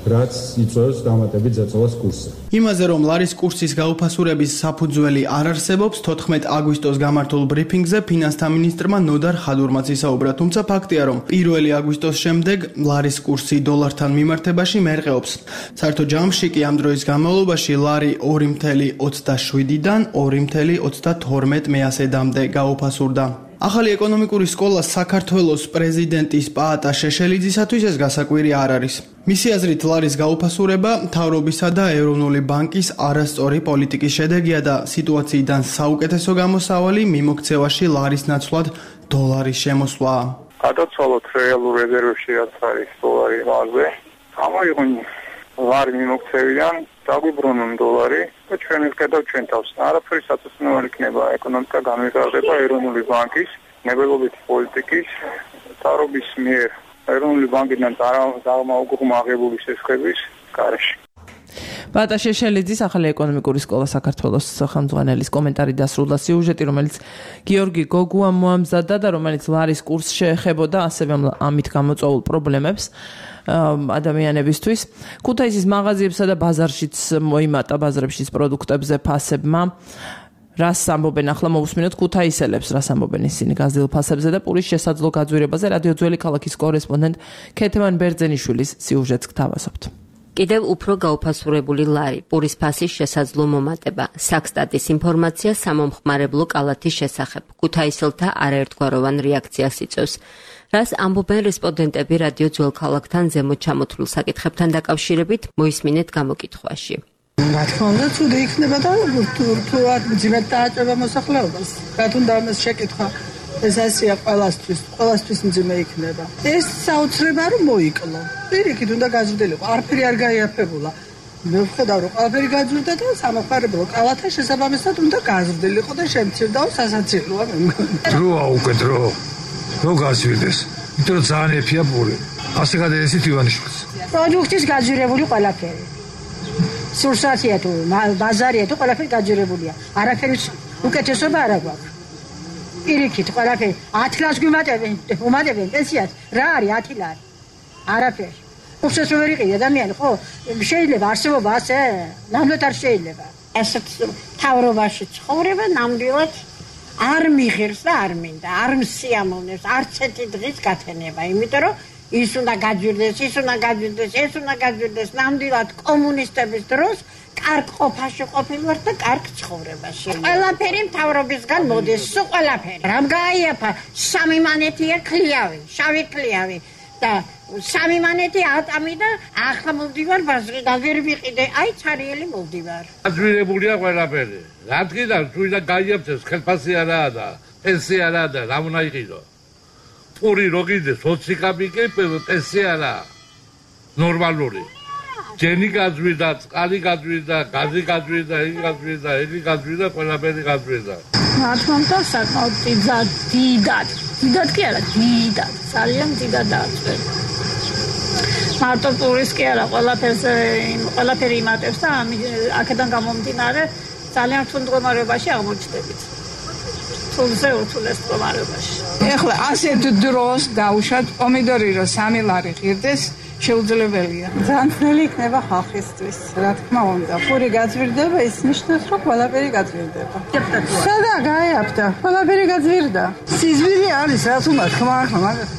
რაც იწვევს დამატებით ზეწოლას კურსზე. იმაზე, რომ ლარის კურსის გაუფასურების საფუძველი არ არსებობს, თოთხმეტ აგვისტოს გამართულ ბრიფინგზე ფინანსთა მინისტრმა ნოდარ ხადურმაც ისაუბრა, თუმცა ფაქტია, რომ პირველი აგვისტოს შემდეგ ლარის კურსი დოლართან მიმართებაში მერყეობს. საერთო ჯამში კი ამ დროის განმავლობაში ლარი ორი ათეული ოცდაშვიდიდან ორი ათეული ოცდათორმეტ მეასედამდე გაუფასურდა. ახალი ეკონომიკური სკოლა საქართველოს პრეზიდენტის პაატა შეშელიძისათვის ეს გასაკვირი არ არის. მისი აზრით, ლარის გაუფასურება მთავრობისა და ეროვნული ბანკის არასწორი პოლიტიკის შედეგია და სიტუაციიდან საუკეთესო გამოსავალი მიმოქცევაში ლარის ნაცვლად დოლარის შემოსვლაა. გადაცვალოთ რეალურ რეზერვებში რაც არის დოლარი ლარზე, გამოიღვინოთ ლარი მიმოქცევიდან, დაგვიბრუნონ დოლარი და ჩვენ ვხედავთ ჩვენ თავს. არაფერი საწესნეველი იქნება ეკონომიკა განვითარდება ეროვნული ბანკის, ნებელობითი პოლიტიკის, მთავრობის მიერ ეროვნული ბანკიდან წარმოუგრომა აღებული შესხების გარეშე. პაატა შეშელიძის ახალი ეკონომიკური სკოლა საქართველოს ხელმძღვანელის კომენტარი დასრულდა სიუჟეტი, რომელიც გიორგი გოგუამ მოამზადა და რომელიც ლარის კურსს შეეხებოდა ასევე ამით გამოწვეულ პრობლემებს ადამიანებისთვის. ქუთაისის მაღაზიებსა და ბაზარშიც მოიმატა ბაზრებშიც პროდუქტებზე ფასებმა. რას ამბობენ ახლა მოусმინოთ ქუთაისელებს, რას ამბობენ ისინი გაზრდილ ფასებზე და პურის შესაძლო გაძვირებაზე რადიო ძველი ქალაქის კორესპონდენტ ქეთევან ბერძენიშვილის სიუჟეტს გთავაზობთ. კიდევ უფრო გაუფასურებული ლარი, პურის ფასის შესაძლო მომატება, საქსტატის ინფორმაცია სამომხმარებლო კალათის შესახებ, ქუთაისელთა არაერთგვაროვან რეაქციას იწვევს. რას ამბობენ რესპონდენტები რადიო ძველ ქალაქთან ზემოთ ჩამოთვლილ საკითხებთან დაკავშირებით, მოისმინეთ გამოკითხვაში. რა თქმა უნდა, ცუდი იქნება და რთულად მძიმედ დააჭრება მოსახლეობას. რა თუნდა ამას შეკითხვა, ეს ასია ყველასთვის, ყველასთვის მძიმე იქნება. ეს საოცრება რომ მოიკლო. პირიქით უნდა გაზრდილიყო, არაფერი არ გაიაფებულა. მე ვხედავ რომ ყველაფერი გაძვირდა და სამომხმარებლო კალათა შესაბამისად უნდა გაზრდილიყო და შემცირდაო სასაცილოა მე მგონი. დროა უკვე დრო. რო გაზვირდეს. იმიტომ რომ ძალიან ეფია პური. ასე გადაესით ივანიშვილს. პროდუქტის გაძვირებული ყველაფერი. სურსათია თუ ბაზარია თუ ყველაფერი გაძვირებულია. არაფერი უკეთესობა არ აქვს. პირიქით ყველაფერი ათი ლარს გვიმატებენ, უმატებენ პენსიას. რა არის ათი ლარი? არაფერი. უხსეს ვერ იყიდე ადამიანი, ხო? შეიძლება არსებობა ასე? ნამდვილად არ შეიძლება. ასეთ თავრობაში ცხოვრება ნამდვილად არ მიღერს და არ მინდა, არ მსიამოვნებს, არც ერთი დღის გათენება, იმიტომ რომ ის უნდა გაძვირდეს, ის უნდა გაძვირდეს, ეს უნდა გაძვირდეს, ნამდვილად კომუნისტების დროს კარგ ყოფაში ყოფილვარ და კარგ ცხოვრებაში. ყველაფერი მთავრობისგან მოდის, სულ ყველაფერი. რამ გაიაფა? სამი მანეთია ქლიავი, შავი ქლიავი და სამი მანეთი ატამი და ახლა მოვდივარ ბაზრიდან, ვერ ვიყიდე, აი ცარიელი მოვდივარ. გაძვირებულია ყველაფერი. რა თქმა უნდა, გაიაფცეს, ხელფასი არაა და პენსია არაა და რა უნდა იყიდო? პური როგიდეს, ოციკაბიკი პენსია არაა. ნორმალური. ჯენი გაძვირდა, წყალი გაძვირდა, გაზი გაძვირდა, იგი გაძვირდა, იგი გაძვირდა, ყველაფერი გაძვირდა. რა თქმა უნდა, საკმაოდ დიდად, დიდად, დიდად კი არა, დიდად, ძალიან დიდად დააწვევს. მარტო პურის კი არა, ყველაფერს ყველაფერი იმატებს და აქედან გამომდინარე ძალიან რთულ მდგომარეობაში აღმოჩნდებით. თულზე უთულეს მდგომარეობაში. ეხლა ასეთ დროს დაუშვათ პომიდორი რომ სამი ლარი ღირდეს შეუძლებელია. ძალიან ძნელი იქნება ხალხისთვის. რა თქმა უნდა, პური გაძვირდება, ის ნიშნავს, რომ ყველაფერი გაძვირდება. სადა გაიაფთა, ყველაფერი გაძვირდა. სიზვირი არის, რაც უნდა თქმა ახლა, მაგრამ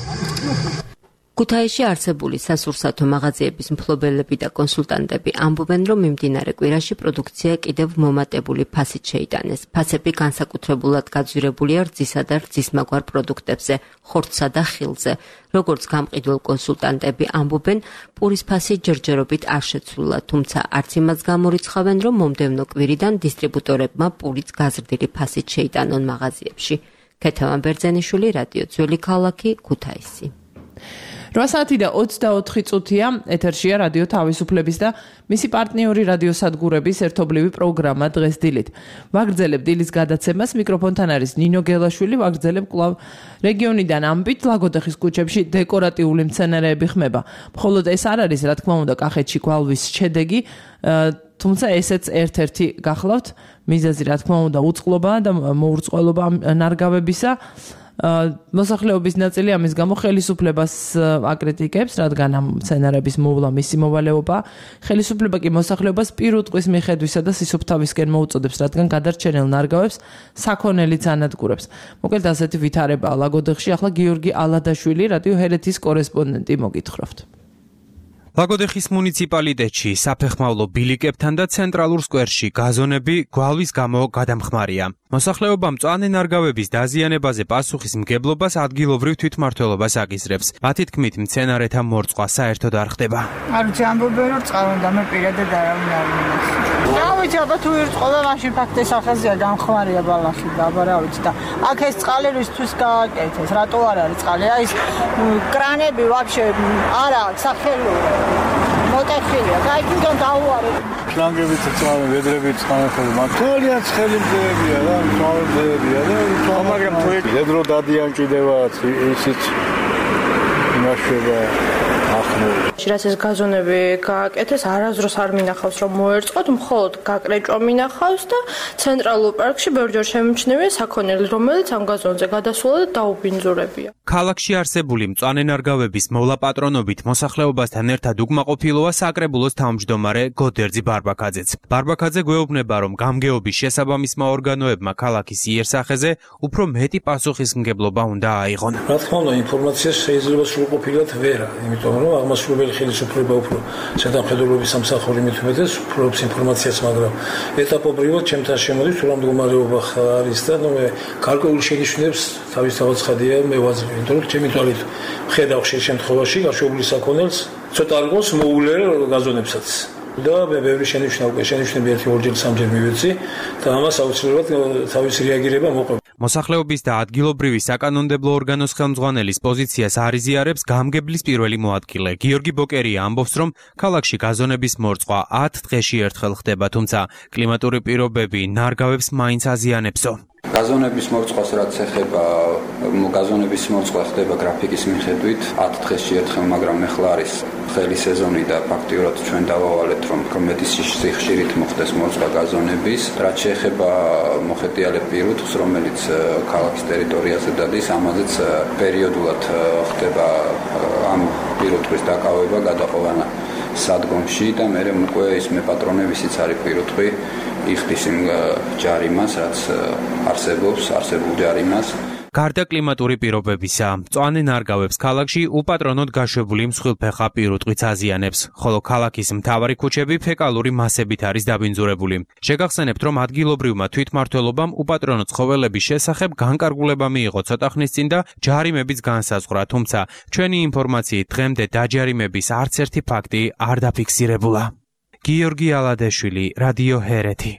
ქუთაისში არსებული სასურსათო მაღაზიების მფლობელები და კონსულტანტები ამბობენ, რომ მიმდინარე კვირაში პროდუქცია კიდევ მომატებული ფასით შეიტანეს. ფასები განსაკუთრებულად გაძვირებულია რძისა და რძისმაგვარ პროდუქტებზე, ხორცსა და ხილზე. როგორც გამყიდველ კონსულტანტები ამბობენ, პურის ფასი ჯერჯერობით არ შეცვლილა, თუმცა არც იმას გამორიცხავენ, რომ მომდევნო კვირიდან დისტრიბუტორებმა პურიც გაზრდილი ფასით შეიტანონ მაღაზიებში. ქეთევან ბერძენიშვილი, რადიო ძველი ქალაქი, ქუთაისი. რვა საათი და ოცდაოთხი წუთია ეთერშია რადიო თავისუფლების და მისი პარტნიორი რადიო სადგურების ერთობლივი პროგრამა დღეს დილით. ვაგრძელებ დილის გადაცემას, მიკროფონთან არის ნინო გელაშვილი, ვაგრძელებ კვლავ რეგიონიდან ამბით ლაგოდეხის ქუჩებში დეკორატიული მცენარეები ხმება. მხოლოდ ეს არ არის, რა თქმა უნდა, კახეთში გვალვის შედეგი, თუმცა ესეც ერთ-ერთი გახლავთ მიზეზი, რა თქმა უნდა, უწყლობა და მოურწყლობა ნარგავებისა. მოსახლეობის ნაწილი ამის გამო ხელისუფლებას აკრიტიკებს, რადგან ამ სცენარების მოვლა მისი მოვალეობა. ხელისუფლება კი მოსახლეობას პირუტყვის მიხედვისა და სისუფთავისკენ მოუწოდებს, რადგან გადარჩენილ ნარგავებს საქონელიც ანადგურებს. მოკლედ ასეთი ვითარებაა ლაგოდეხში. ახლა გიორგი ალადაშვილი, რადიო ჰერეთის კორესპონდენტი, მოგითხრობთ. ლაგოდეხის მუნიციპალიტეტში საფეხმავლო ბილიკებთან და ცენტრალურ სკვერში გაზონები გვალვის გამო გადამხმარია. მოსახლეობა მწვანე ნარგავების დაზიანებაზე პასუხის მგებლობას ადგილობრივ თვითმმართველობას აკისრებს. მათი თქმით, მცენარეთა მორწყვა საერთოდ არ ხდება. არ ვიცი, ამბობენ რომ წყალონდა, მე პირადად არავინ არ მინახავს. რა ვიცი, აბა თუ ირწყოდა, მაშინ ფაქტის ახაზია გამხმარია ბალახი და აბა რა ვიცი და აქ ეს წყალი რისთვის გააკეთეს, რატო არ არის წყალი? აი ეს კრანები ვაფშე არა აქვს სახელური. მოტეხილია, გაიგონ დაუარეთ. შლანგებით წავენ, ვედრებით წავენ ხოლმე. მაგალითად ხელი მძეებია რა, წავენ მძეებია და მაგრამ პროექტი ვედრო დადიან კიდევაც ისიც იმაშება ახლა. რაც ეს გაზონები გააკეთეს, არასდროს არ მინახავს რომ მოერწყოთ, მხოლოდ გაკრეჭვა მინახავს და ცენტრალურ პარკში ბევრჯერ შემჩნევია საქონელი, რომელიც ამ გაზონზე გადასულა და დაუბინძურებია. ქალაქში არსებული მწვანე ნარგავების მოვლა პატრონობით მოსახლეობასთან ერთად უკმაყოფილოა საკრებულოს თავმჯდომარე გოდერძი ბარბაკაძეც. ბარბაკაძე გვეუბნება, რომ გამგეობის შესაბამისმა ორგანოებმა ქალაქის იერსახეზე უფრო მეტი პასუხისმგებლობა უნდა აიღონ. რა თქმა უნდა, ინფორმაცია შეიძლება სრულყოფილად ვერა, იმიტომ რომ აღმასრულებელი ხელისუფლება უფრო ზედამხედველობის სამსახური მithumetes ფლობს ინფორმაციას, მაგრამ ეტაპობრივად ჩემთან შემოდის თუ რა მდგომარეობა არის და ნუ მე გარკვეულ შენიშვნებს თავის თავად ხადია მე ვაძლევ. იმიტომ რომ ჩემი თვალით ხედავ ხშირ შემთხვევაში გაშვებული საქონელს ცოტა არ იყოს მოულე გაზონებსაც და მე ბევრი შენიშვნა უკვე შენიშვნები ერთი ორჯერ სამჯერ მივეცი და ამას აუცილებლად თავისი რეაგირება მოყვება. მოსახლეობის და ადგილობრივი საკანონმდებლო ორგანოს ხელმძღვანელის პოზიციას არ იზიარებს გამგებლის პირველი მოადგილე. გიორგი ბოკერია ამბობს, რომ ქალაქში გაზონების მორწყვა ათ დღეში ერთხელ ხდება, თუმცა კლიმატური პირობები ნარგავებს მაინც აზიანებსო. გაზონების მორცხვას რაც ეხება, გაზონების მორცვა ხდება გრაფიკის მიხედვით ათ დღეში ერთხელ, მაგრამ ეხლა არის ხელი სეზონი და ფაქტიურად ჩვენ დავავალეთ, რომ მეტი სიხშირით მოხდეს მორცვა გაზონების. რაც შეეხება მოხეტიალე პირუტყვს, რომელიც ქალაქის ტერიტორიაზე დადის, ამაზეც პერიოდულად ხდება ამ პირუტყვის დაკავება, გადაყვანა სადგომში და მე უკვე ის მეპატრონებისიც არის პირუტყვი იხდის იმ ჯარიმას, რაც არსებობს, არსებულ ჯარიმას. გარდა კლიმატური პირობებისა, მწვანე ნარგავებს ქალაქში უპატრონოდ გაშვებული მსხვილფეხა პირუტყვიც აზიანებს, ხოლო ქალაქის მთავარი ქუჩები ფეკალური მასებით არის დაბინძურებული. შეგახსენებთ, რომ ადგილობრივმა თვითმმართველობამ უპატრონო ცხოველების შესახებ განკარგულება მიიღო ცოტა ხნის წინ და ჯარიმებიც განსაზღვრა, თუმცა ჩვენი ინფორმაციით დღემდე დაჯარიმების არც ერთი ფაქტი არ დაფიქსირებულა. გიორგი ალადაშვილი, რადიო ჰერეთი.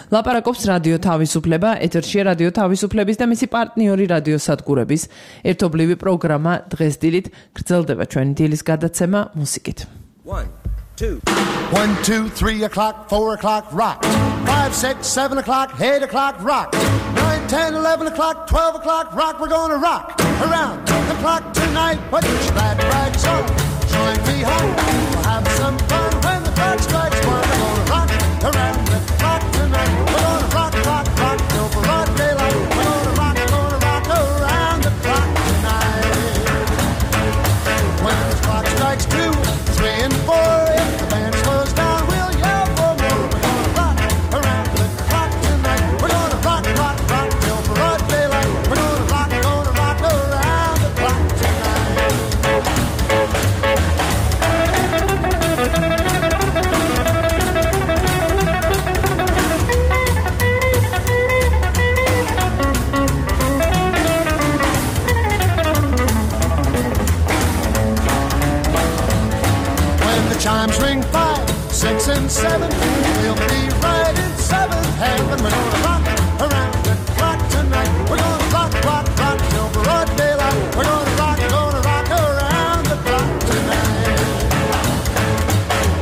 ლაპარაკობს რადიო თავისუფლება, ეთერშია რადიო თავისუფლების და მისი პარტნიორი რადიო სადგურების ერთობლივი პროგრამა დღეს დილით. გრძელდება ჩვენი დილის გადაცემა მუსიკით. one two three o'clock four o'clock rock five six seven o'clock eight o'clock rock nine ten eleven o'clock twelve o'clock rock. We're gonna rock around the clock tonight. Put your glad rags on, join me home, we'll have some fun when the clock strikes one. We're gonna rock around the clock tonight. We're gonna rock, rock, rock till broad daylight. We're gonna rock, gonna rock around the clock tonight. When the clock strikes two, three and four, if the band slows down, we'll yell for more. We're gonna rock around the clock tonight. We're gonna rock, rock, rock till broad daylight. We're gonna rock, gonna rock around the clock tonight. Chimes ring five, six and seven, we'll be right in seventh heaven. We're gonna rock around the clock tonight. We're gonna rock, rock, rock till broad daylight. We're gonna rock, gonna rock around the clock tonight.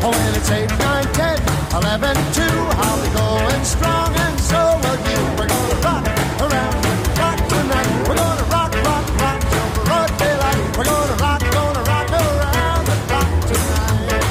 Oh, when it's eight, nine, ten, eleven, two, I'll be going strong and so will you. We're gonna rock around the clock tonight. We're gonna rock, rock, rock till broad daylight. We're gonna rock, gonna rock around the clock tonight.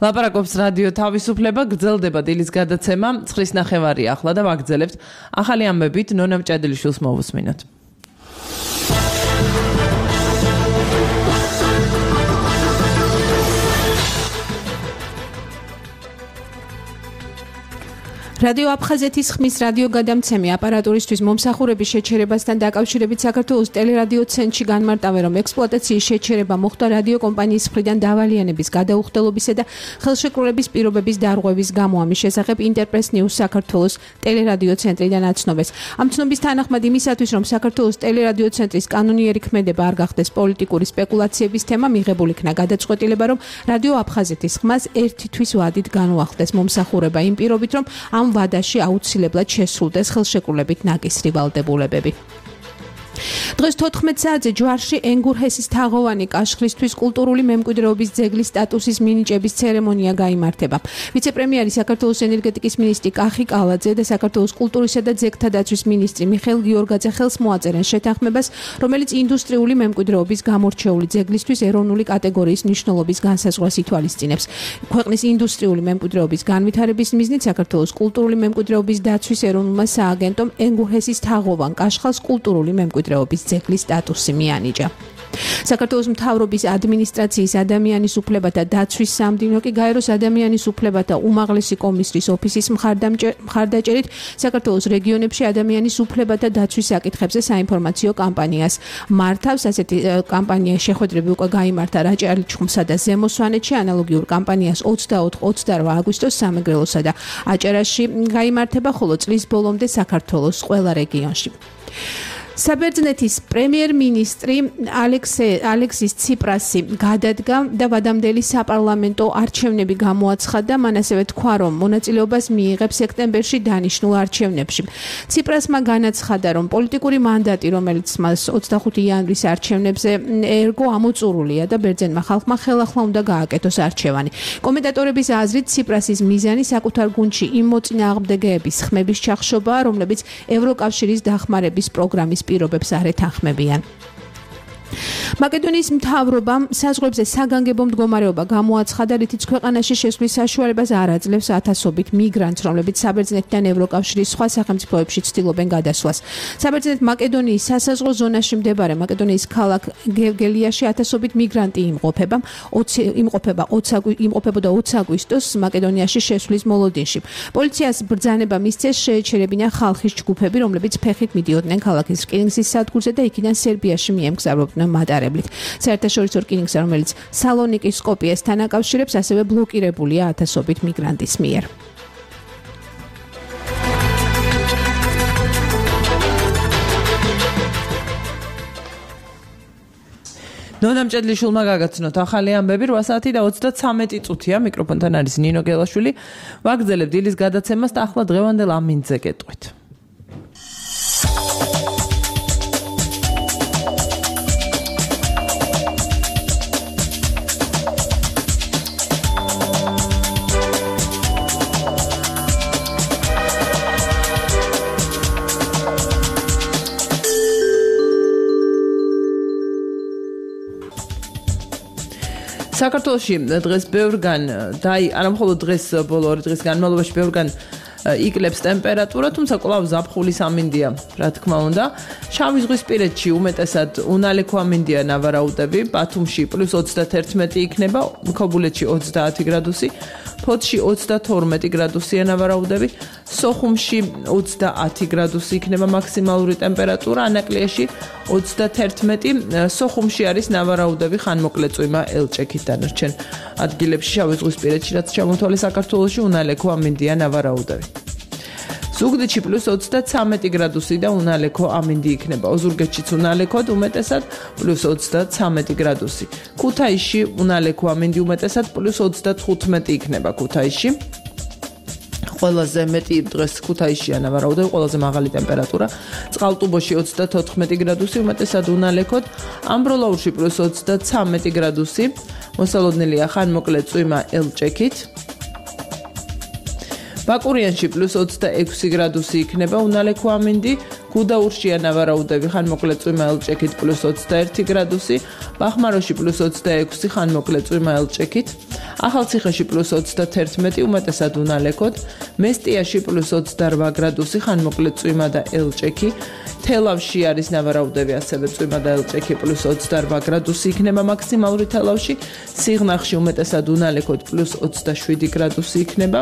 ლაპარაკობს რადიო თავისუფლება, გრძელდება დილის გადაცემა, ცხრის ნახევარი ახლა და ვაგრძელებთ ახალი ამბებით ნონა მჭადელიშვილს მოვუსმინოთ. რადიო აფხაზეთის ხმის რადიო გადამცემი აპარატურისთვის მომსახურების შეჩერებასთან დაკავშირებით საქართველოს ტელერადიო ცენტრში განმარტავენ, რომ ექსპლუატაციის შეჩერება მოხდა რადიო კომპანიის მხრიდან დავალიანების გადაუხდელობისა და ხელშეკრულების პირობების დარღვევის გამო. ამის შესახებ ინტერპრეს ნიუს საქართველოს ტელერადიო ცენტრიდან აცნობეს. ამ ცნობის თანახმად იმისათვის, რომ საქართველოს ტელერადიო ცენტრის კანონიერი ქმედება არ გახდეს პოლიტიკური სპეკულაციების თემა, მიღებულ იქნა გადაწყვეტილება, რომ რადიო აფხაზეთის ხმას ერთი თვის ვადით განუახდეს მომსახურება იმ პირობით, რომ ამ ვადაში აუცილებლად შესრულდეს ხელშეკრულებით ნაკისრი ვალდებულებები. დღეს თოთხმეტ საათზე ჯვარში ენგურჰესის თაღოვანი კაშხლისთვის კულტურული მემკვიდრეობის ძეგლის სტატუსის მინიჭების ცერემონია გაიმართება. ვიცე-პრემიერი საქართველოს ენერგეტიკის მინისტრი კახი კალაძე და საქართველოს კულტურისა და ძეგლთა დაცვის მინისტრი მიხეილ გიორგაძე ხელს მოაწერენ შეთანხმებას, რომელიც ინდუსტრიული მემკვიდრეობის გამორჩეული ძეგლისთვის ეროვნული კატეგორიის მნიშვნელობის განსაზღვრას ითვალისწინებს. ქვეყნის ინდუსტრიული მემკვიდრეობის განვითარების მიზნით საქართველოს კულტურული მემკვიდრეობის დაცვის ეროვნულმა სააგენტომ ენგურჰესის თაღოვან კაშხალს კულტურული მემკვიდრეობის ძეგლის სტატუსი მიანიჭა. საქართველოს მთავრობის ადმინისტრაციის ადამიანის უფლებათა დაცვის სამდივნო კი გაეროს ადამიანის უფლებათა უმაღლესი კომისრის ოფისის მხარდაჭერით საქართველოს რეგიონებში ადამიანის უფლებათა დაცვის საკითხებზე საინფორმაციო კამპანიას მართავს. ასეთი კამპანია შეხვედრები უკვე გაიმართა რაჭა-ლეჩხუმსა და ზემო სვანეთში, ანალოგიურ კამპანიას ოცდაოთხ ოცდარვა აგვისტოს სამეგრელოსა და აჭარაში გაიმართება, ხოლო წლის ბოლომდე საქართველოს ყველა რეგიონში. საბერძნეთის პრემიერ-მინისტრი ალექსის ციპრასი გადადგა და ვადამდელი საპარლამენტო არჩევნები გამოაცხადა. მან ასევე თქვა, რომ მონაწილეობას მიიღებს სექტემბერში დანიშნულ არჩევნებში. ციპრასმა განაცხადა, რომ პოლიტიკური მანდატი, რომელიც მას ოცდახუთი იანვრის არჩევნებზე ერგო, ამოწურულია და ბერძენმა ხალხმა ხელახლა უნდა გააკეთოს არჩევანი. კომენტატორების აზრით, ციპრასის მიზანი საკუთარ გუნდში იმ მოწინააღმდეგეების ხმების ჩახშობაა, რომლებიც ევროკავშირის დახმარების პროგრამის პირობებს არ ეთანხმებიან. მაკედონიის მთავრობამ საზღვრებზე საგანგებო მდგომარეობა გამოაცხადა, რითიც ქვეყანაში შესვლის საშუალებას არ აძლევს ათასობით მიგრანტს, რომლებიც საბერძნეთიდან ევროკავშირის სხვა სახელმწიფოებში ცდილობენ გადასვლას. საბერძნეთ-მაკედონიის სასაზღვრო ზონაში მდებარე მაკედონიის ქალაქ გევგელიაში ათასობით მიგრანტი იმყოფება, იმყოფება იმყოფებოდა ოცი აგვისტოს მაკედონიაში შესვლის მოლოდინში. პოლიციას ბრძანება მისცეს შეეჩერებინა ხალხის ჯგუფები, რომლებიც ფეხით მიდიოდნენ ქალაქის რკინიგზის სადგურზე და იქიდან სერბიაში მიემგზავრებდნენ მატარებლით. საერთაშორისო რკინიგზა, რომელიც სალონიკის სკოპიესთან აკავშირებს, ასევე ბლოკირებულია ათასობით მიგრანტის მიერ. ნონა მჭედლიშვილმა გაგაცნოთ ახალი ამბები. რვა საათი და ოცდაცამეტი წუთია. მიკროფონთან არის ნინო გელაშვილი. ვაგრძელებთ დილის გადაცემას და ახლა დღევანდელ ამინდზე გეტყვით. საქართველოში დღეს ბევრგან და არა მხოლოდ დღეს ბოლო ორი დღის განმავლობაში ბევრგან იკლებს ტემპერატურა, თუმცა კვლავ ზაფხულის ამინდია, რა თქმა უნდა. შავი ზღვისპირეთში უმეტესად უნალექო ამინდია ნავარაუდები, ბათუმში პლუს ოცდათერთმეტი იქნება, ქობულეთში ოცდაათი გრადუსი, ფოთში ოცდათორმეტი გრადუსია ნავარაუდები, სოხუმში ოცდაათი გრადუსი იქნება მაქსიმალური ტემპერატურა, ანაკლიაში ოცდათერთმეტი, სოხუმში არის ნავარაუდები ხანმოკლე წვიმა ელჭექით დანარჩენ ადგილებში შავი ზღვისპირეთში, რაც ჩამოთვალე საქართველოში უნალექო ამინდია ნავარაუდები. ზუგდიდში პლუს ოცდაცამეტი გრადუსი და უნალექო ამინდი იქნება. ოზურგეთშიც უნალექოდ უმეტესად პლუს ოცდაცამეტი გრადუსი. ქუთაისში უნალექო ამინდი უმეტესად პლუს ოცდათხუთმეტი იქნება ქუთაისში. ყველაზე მეტი დღეს ქუთაისშია ნავარაუდები, ყველაზე მაღალი ტემპერატურა. წყალტუბოში ოცდათოთხმეტი გრადუსი, უმეტესად უნალექოდ. ამბროლაურში პლუს ოცდაცამეტი გრადუსი. მოსალოდნელია ხანმოკლე წვიმა ელჭექით. ბაკურიანში პლუს ოცდაექვსი გრადუსი იქნება უნალექო ამინდი, გუდაურშია ნავარაუდები ხანმოკლე წვიმა ელჭექით პლუს ოცდაერთი გრადუსი, ბახმაროში პლუს ოცდაექვსი ხანმოკლე წვიმა ელჭექით, ახალციხეში პლუს ოცდათერთმეტი, უმეტესად უნალექოდ, მესტიაში პლუს ოცდაორვა გრადუსი, ხანმოკლე წვიმა და ელჭექი, თელავში არის ნავარაუდები, ასევე წვიმა და ელჭექი პლუს ოცდაორვა გრადუსი იქნება მაქსიმალური თელავში, სიღნაღში უმეტესად უნალექოდ პლუს ოცდაშვიდი გრადუსი იქნება.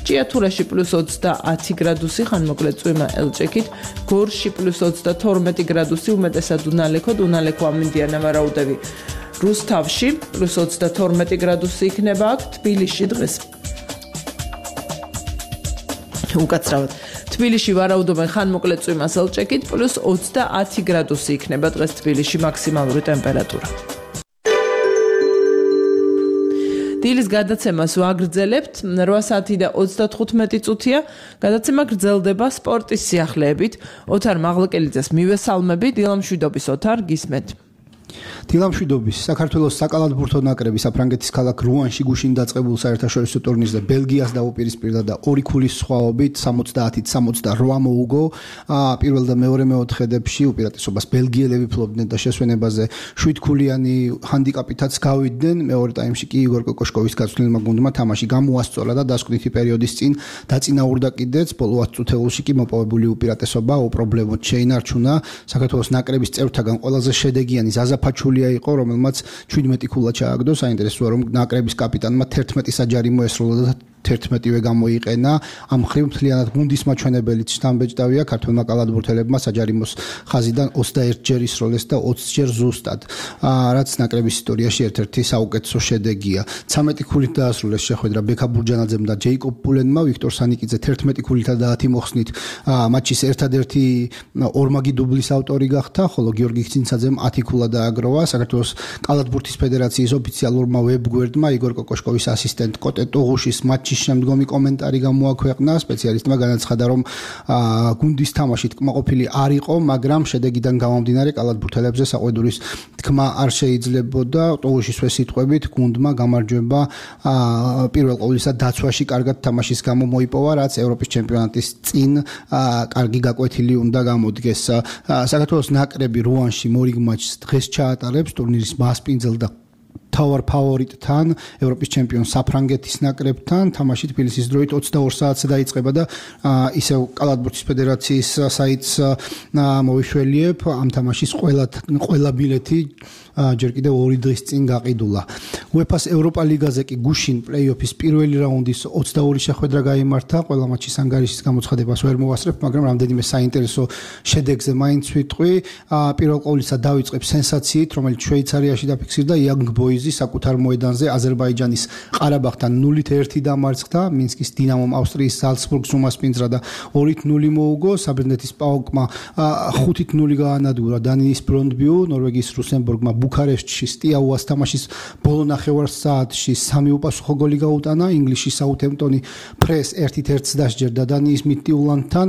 ჭიათურაში პლუს ოცდაათი გრადუსი, ხანმოკლე წვიმა ელჭექით, გორში პლუს ოცდათორმეტი გრადუსი, უმეტესად უნალექოდ, უნალექო ამინდია ნავარაუდები. რუსთავში პლუს ოცდათორმეტი გრადუსი იქნება აქ, თბილისში დღეს. უკაცრავად. თბილისში ვარაუდობენ ხანმოკლე წვიმას ელჭექით, პლუს ოცდაათი გრადუსი იქნება დღეს თბილისში მაქსიმალური ტემპერატურა. დილის გადაცემას ვაგრძელებთ, რვა საათი და ოცდათხუთმეტი წუთია, გადაცემა გრძელდება სპორტის სიახლეებით. ოთარ მაღლაკელიძეს მივესალმები, დილამშვიდობის ოთარ, გისმენთ. დილამშვიდობის საქართველოს საკალათბურთო ნაკრები საფრანგეთის ქალაქ რუანში გუშინ დაწყებულ საერთაშორისო ტურნირზე ბელგიას დაუპირისპირდა და ორი ქულის სხვაობით სამოცდაათით სამოცდაორვა მოუგო. პირველ და მეორე მეოთხედებში უპირატესობას ბელგიელები ფლობდნენ და შესვენებაზე შვიდქულიანი ჰანდიკაპითაც გავიდნენ. მეორე ტაიმში კი იგორ კოკოშკოვის გაცვლილმა გუნდმა თამაში გამოასწორა და დასკვნითი პერიოდის წინ დაწინაურდა კიდეც. ბოლო ათ წუთეულში კი მოპოვებული უპირატესობა უპრობლემოდ შეინარჩუნა. საქართველოს ნაკრების წევრთაგან ყველაზე შედეგიანი ზაზა ფაჩულია იყო, რომელმაც შვიდმეტი ქულა ჩააგდო. საინტერესოა, რომ ნაკრების კაპიტანმა თერთმეტი საჯარი მოესროლა და თერთმეტივე გამოიყენა. ამ მხრივ მთლიანად გუნდის მაჩვენებელიც შთამბეჭდავია. ქართველმა კალათბურთელებმა საჯარიმოს ხაზიდან ოცდაერთი ჯერ ისროლეს და ოცი ჯერ ზუსტად, რაც ნაკრების ისტორიაში ერთ-ერთი საუკეთესო შედეგია. ცამეტი ქულით დაასრულეს შეხვედრა ბექა ბურჯანაძემ და ჯეიკობ პულენმა. ვიქტორ სანიკიძე თერთმეტი ქულითა და ათი მოხსნით მატჩის ერთადერთი ორმაგი დუბლის ავტორი გახდა, ხოლო გიორგი ხცინცაძემ ათი ქულა დააგროვა. საქართველოს კალათბურთის ფედერაციის ოფიციალურმა ვებგვერდმა იგორ კოკოშკოვის ასისტენტ კოტე ტოღუშის მატჩის შემდგომი კომენტარი გამოაქვეყნა. სპეციალისტმა განაცხადა, რომ გუნდის თამაში თქმაყოფილი არ იყო, მაგრამ შედეგიდან გამომდინარე კალათბურთელებზე საყვედურის თქმა არ შეიძლებოდა. ტოღუშისვე სიტყვებით გუნდმა გამარჯვება პირველ ყოვლისა დაცვაში კარგად თამაშის გამო მოიპოვა, რაც ევროპის ჩემპიონატის წინ კარგი გაკვეთილი უნდა გამოდგეს. საქართველოს ნაკრები რუანში მორიგ მატჩს დღეს ჩაატარებს ტურნირის მასპინძელ და თავარ ფავორიტთან, ევროპის ჩემპიონ საფრანგეთის ნაკრებთან. თამაში თბილისის დროით ოცდაორ საათზე დაიწყება და ისევ კალათბურთის ფედერაციის საიტს მოვიშველიებ. ამ თამაშის ყველა ყველა ბილეთი ჯერ კიდევ ორი დღის წინ გაყიდულა. უეფას ევროპა ლიგაზე კი გუშინ პლეი-ოფის პირველი რაუნდის ოცდაორი შეხვედრა გაიმართა. ყველა მატჩის ანგარიშის გამოცხადებას ვერ მოვასწრებ, მაგრამ რამდენიმე საინტერესო შედეგზე მაინც ვიტყვი. პირველ ყოვლისა დავიწყებ სენსაციით, რომელიც შვეიცარიაში დაფიქსირდა. იანგ ბოიზი საკუთარ მოედანზე აზერბაიჯანის ყარაბაღთან ნულით ერთი დამარცხდა. მინსკის დინამომ ავსტრიის ზალცბურგს უმასპინძლა და ორით ნული მოუგო. საბერძნეთის პაოკმა ხუთით ნული გაანადგურა დანიის ბრონდბიუ. ნორვეგიის რუსენბურგმა ბუქარესტში სტიაუას თამაშის ბოლო ნახევარ საათში სამი უპასუხო გოლი გაუტანა. ინგლისში საუთემპტონი ფრეს ერთით ერთს დასჯერდა დანიის მიდტიულანთან.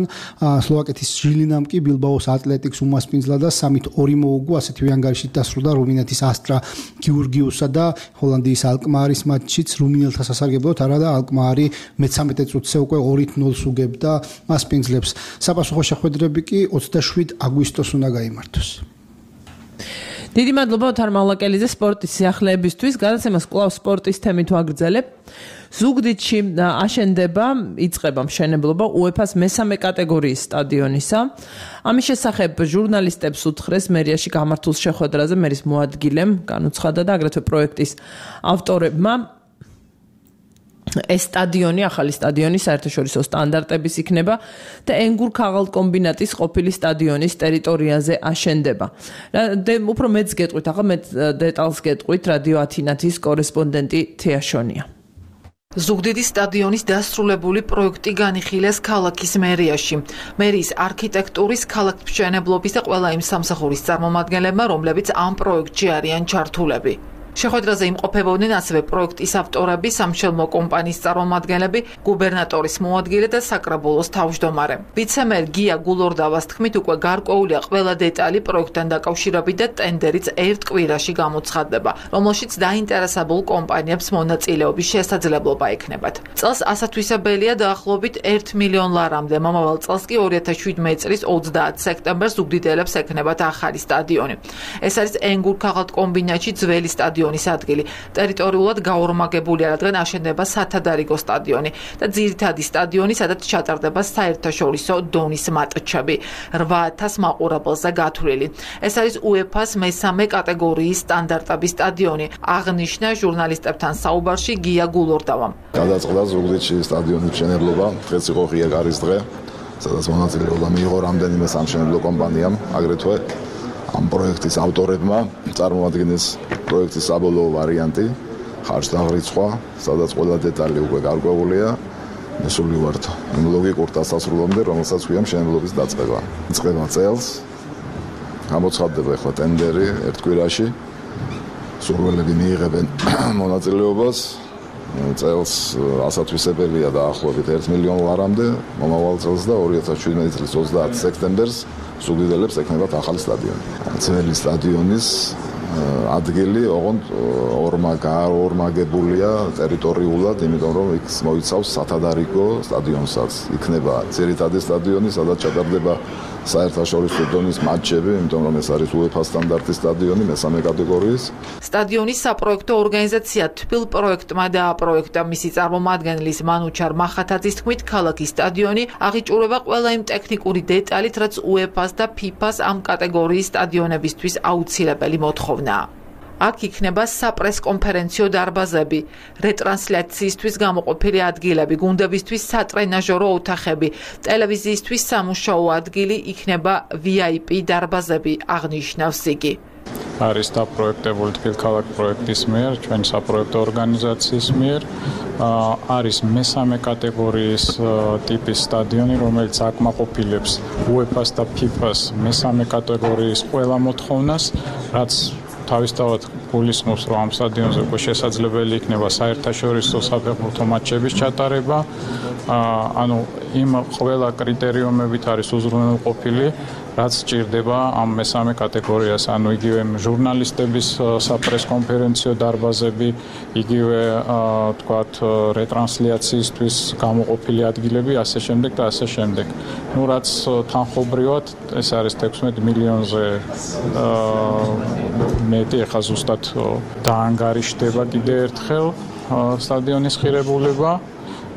სლოვაკეთის ჟილინამ კი ბილბაოს ატლეტიკს უმასპინძლა და სამით ორი მოუგო. ასეთივე ანგარიშით დასრულდა რუმინეთის ასტრა გიურგიუსა და ჰოლანდიის ალკმარის მატჩიც. რუმინელთა სასარგებლოდ არა და ალკმარი მეცამეტე წუთზე უკვე ორით ნულს უგებდა მასპინძლებს. საპასუხო შეხვედრები კი ოცდაშვიდ აგვისტოს უნდა გაიმართოს. დიდი მადლობა ოთარ მაღლაკელიძე სპორტის სიახლეებისთვის. გადაცემას კვლავ სპორტის თემით ვაგრძელებ. ზუგდიდში აშენდება, იწყება მშენებლობა უეფას მესამე კატეგორიის სტადიონისა. ამის შესახებ ჟურნალისტებს უთხრეს მერიაში გამართულ შეხვედრაზე მერის მოადგილემ განუცხადა და აგრეთვე პროექტის ავტორებმა. ეს სტადიონი, ახალი სტადიონი საერთაშორისო სტანდარტების იქნება და ენგურ ქაღალდკომბინატის ყოფილი სტადიონის ტერიტორიაზე აშენდება. უფრო მეც გეტყვით, ახლა მე დეტალს გეტყვით რადიო ათინათის კორესპონდენტი თეაშონია. ზუგდიდის სტადიონის დასრულებული პროექტი განიხილეს ქალაქის მერიაში. მერიის არქიტექტურის, ქალაქმშენებლობის და ყველა იმ სამსახურის წარმომადგენლებმა, რომლებიც ამ პროექტში არიან ჩართულები. შეხვედრაზე იმყოფებოდნენ ასევე პროექტის ავტორები, სამშენებლო კომპანიის წარმომადგენლები, გუბერნატორის მოადგილე და საკრებულოს თავმჯდომარე. ვიცემერ გია გულორდავას თქმით, უკვე გარკვეულია ყველა დეტალი პროექტთან დაკავშირებით და ტენდერიც ერთ კვირაში გამოცხადდება, რომელშიც დაინტერესებულ კომპანიებს მონაწილეობის შესაძლებლობა ექნებათ. წელს ასათვისებელია დაახლოებით ერთ მილიონ ლარამდე, მომავალ წელს კი ორი ათას შვიდმეტი წლის ოცდაათ სექტემბერს ზუგდიდელებს ექნებათ ახალი სტადიონი. ეს არის ენგურ ქაღალდკომბინატში ძველი სტადიონი სტადიონის ადგილი. ტერიტორიულად გაორმაგებულია, რადგან აშენდება სათადარიგო სტადიონი და ძირითადი სტადიონი, სადაც ჩატარდება საერთაშორისო დონის მატჩები. რვა ათას მაყურებელზე გათვლილი. ეს არის უეფას მესამე კატეგორიის სტანდარტების სტადიონი, აღნიშნა ჟურნალისტებთან საუბარში გია გულორდავამ. გადაწყდა ზუგდიდში სტადიონის მშენებლობა, დღეს იყო ღია გარის დღე, სადაც მონაწილეობა მიიღო რამდენიმე სამშენებლო კომპანიამ, აგრეთვე ამ პროექტის ავტორებმა წარმოადგენეს პროექტის საბოლოო ვარიანტი, ხარჯ-დაღრიცხვა, სადაც ყველა დეტალი უკვე გარკვეულია. მესული ვართ იმ ლოგიკურ დასასრულამდე, რომელსაც ქვია მშენებლობის დაწყება. იწყება წელს, გამოცხადდება ახლა ტენდერი ერთ კვირაში, სურვილები მიიღებენ მონაწილეობას. წელს ასათვისებელია დაახლოებით ერთ მილიონ ლარამდე, მომავალ წელს და ორი ათას შვიდმეტი წლის ოცდაათი სექტემბერს ზუგდიდელებს ექნებათ ახალი სტადიონი. ძველი სტადიონის ადგილი ოღონდ ორმაგებულია ტერიტორიულად, იმიტომ რომ იქ მოიცავს სათადარიგო სტადიონსაც. იქნება ძირითადი სტადიონი, სადაც ჩატარდება საერთაშორისო დონის მატჩები, იმიტომ რომ ეს არის უეფა სტანდარტის სტადიონი მესამე კატეგორიის. სტადიონის საპროექტო ორგანიზაცია თბილ პროექტმა დააპროექტა. მისი წარმომადგენლის მანუჩარ მახათაძის თქმით, ქალაქის სტადიონი აღიჭურება ყველა იმ ტექნიკური დეტალით, რაც უეფას და ფიფას ამ კატეგორიის სტადიონებისთვის აუცილებელი მოთხოვნა. აქ იქნება საპრესკონფერენციო დარბაზები, რეტრანსლაციისთვის გამოყოფილი ადგილები, გუნდებისთვის სატრენაჟორო ოთახები, ტელევიზიისთვის სამუშაო ადგილი, იქნება ვი აი პი დარბაზები, აღნიშნავს იგი. არის დაპროექტებული თბილქალაქ პროექტის მიერ, ჩვენი საპროექტო ორგანიზაციის მიერ. არის მესამე კატეგორიის ტიპის სტადიონი, რომელიც აკმაყოფილებს უეფას და ფიფას მესამე კატეგორიის ყველა მოთხოვნას, რაც თავისთავად გულისხმობს, რომ ამ სტადიონზე უკვე შესაძლებელი იქნება საერთაშორისო საფეხბურთო მატჩების ჩატარება. ანუ იმ ყველა კრიტერიუმებით არის უზრუნველყოფილი, რაც სჭირდება ამ მესამე კატეგორიას, ანუ იგივე ჟურნალისტების საპრესკონფერენციო დარბაზები, იგივე თქვათ რეტრანსლაციისთვის გამოყოფილი ადგილები, ასე შემდეგ და ასე შემდეგ. ნუ რაც თანხობრივად ეს არის თექვსმეტ მილიონზე მეტი, ახლა ზუსტად დაანგარიშდება კიდე ერთხელ სტადიონის ღირებულება.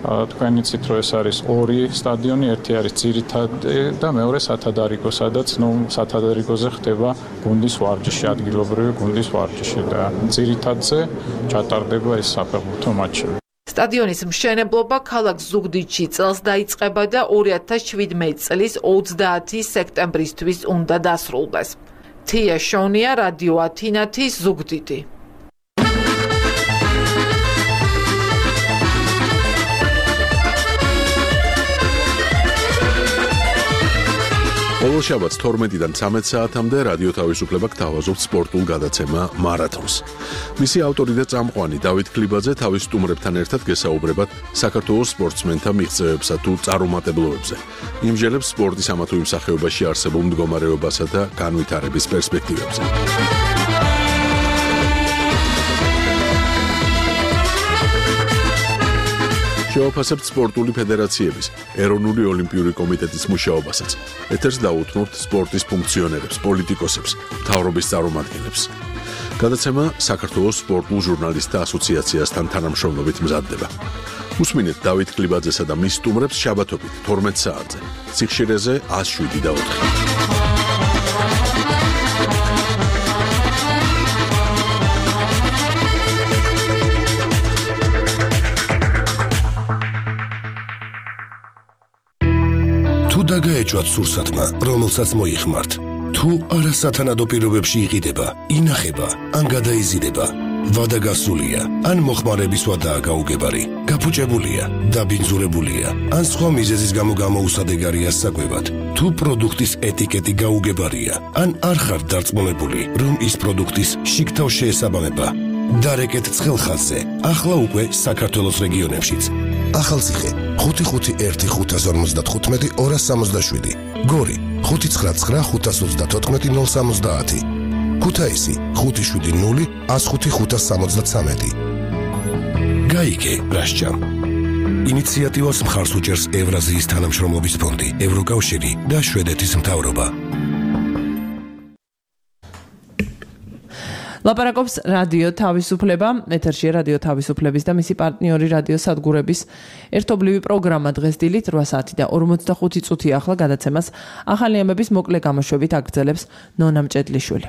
თქვენ იცით, რომ ეს არის ორი სტადიონი, ერთი არის ძირითადი და მეორე სათადარიგო, სადაც ნუ სათადარიგოზე ხდება გუნდის ვარჯიში, ადგილობრივი გუნდის ვარჯიში და ძირითადზე ჩატარდება ეს საფეხბურთო მატჩები. სტადიონის მშენებლობა ქალაქ ზუგდიდში წელს დაიწყება და ორი ათას შვიდმეტი წლის ოცდაათი სექტემბრისთვის უნდა დასრულდეს. თია შონია, რადიო ათინათი, ზუგდიდი. ყოველ შაბათს თორმეტიდან ცამეტ საათამდე რადიო თავისუფლება გთავაზობთ სპორტულ გადაცემა მარათონს. მისი ავტორი და წამყვანი დავით ქლიბაძე თავის სტუმრებთან ერთად გესაუბრებათ საქართველოს სპორტსმენთა მიღწევებსა თუ წარუმატებლობებზე. იმჟელებს სპორტის ამა თუ იმ სახეობაში არსებულ მდგომარეობასა და განვითარების პერსპექტივებზე. შევაფასებთ სპორტული ფედერაციების, ეროვნული ოლიმპიური კომიტეტის მუშაობასაც. ეთერს დაუთმობთ სპორტის ფუნქციონერებს, პოლიტიკოსებს, მთავრობის წარმომადგენლებს. გადაცემა საქართველოს სპორტულ ჟურნალისტთა ასოციაციასთან თანამშრომლობით მზადდება. უსმინეთ დავით ქლიბაძესა და მის სტუმრებს შაბათობით თორმეტ საათზე. სიხშირეზე ას შვიდი და ოთხი. დაგაეჭვათ სურსათმა, რომელსაც მოიხმართ. თუ არასათანადო პირობებში იყიდება, ინახება, ან გადაიზიდება, ვადა გასულია, ან მოხმარების ვადაა გაუგებარი, გაფუჭებულია, დაბინძურებულია, ან სხვა მიზეზის გამო გამოუსადეგარია საკვებად. თუ პროდუქტის ეტიკეტი გაუგებარია, ან არ ხართ დარწმუნებული, რომ ის პროდუქტის შიგთავ შეესაბამება, დარეკეთ ცხელხაზზე, ახლა უკვე საქართველოს რეგიონებშიც. ახალციხე ხუთი ხუთი ერთი ხუთას ორმოცდათხუთმეტი ორას სამოცდაშვიდი, გორი ხუთი ცხრა ცხრა ხუთას ოცდათოთხმეტი ნულ სამოცდაათი, ქუთაისი ხუთი შვიდი ნული ას ხუთი ხუთას სამოცდაცამეტი. გაიგე რასჯამ. ინიციატივას მხარს უჭერს ევრაზიის თანამშრომლობის ფონდი, ევროკავშირი და შვედეთის მთავრობა. ლაპარაკობს რადიო თავისუფლება, ეთერში რადიო თავისუფლების და მისი პარტნიორი რადიო სადგურების ერთობლივი პროგრამა დღეს დილით რვა საათი და ორმოცდახუთი წუთი ახლა გადაცემას ახალი ამბების მოკლე გამოშვებით აგრძელებს ნონა მჭედლიშვილი.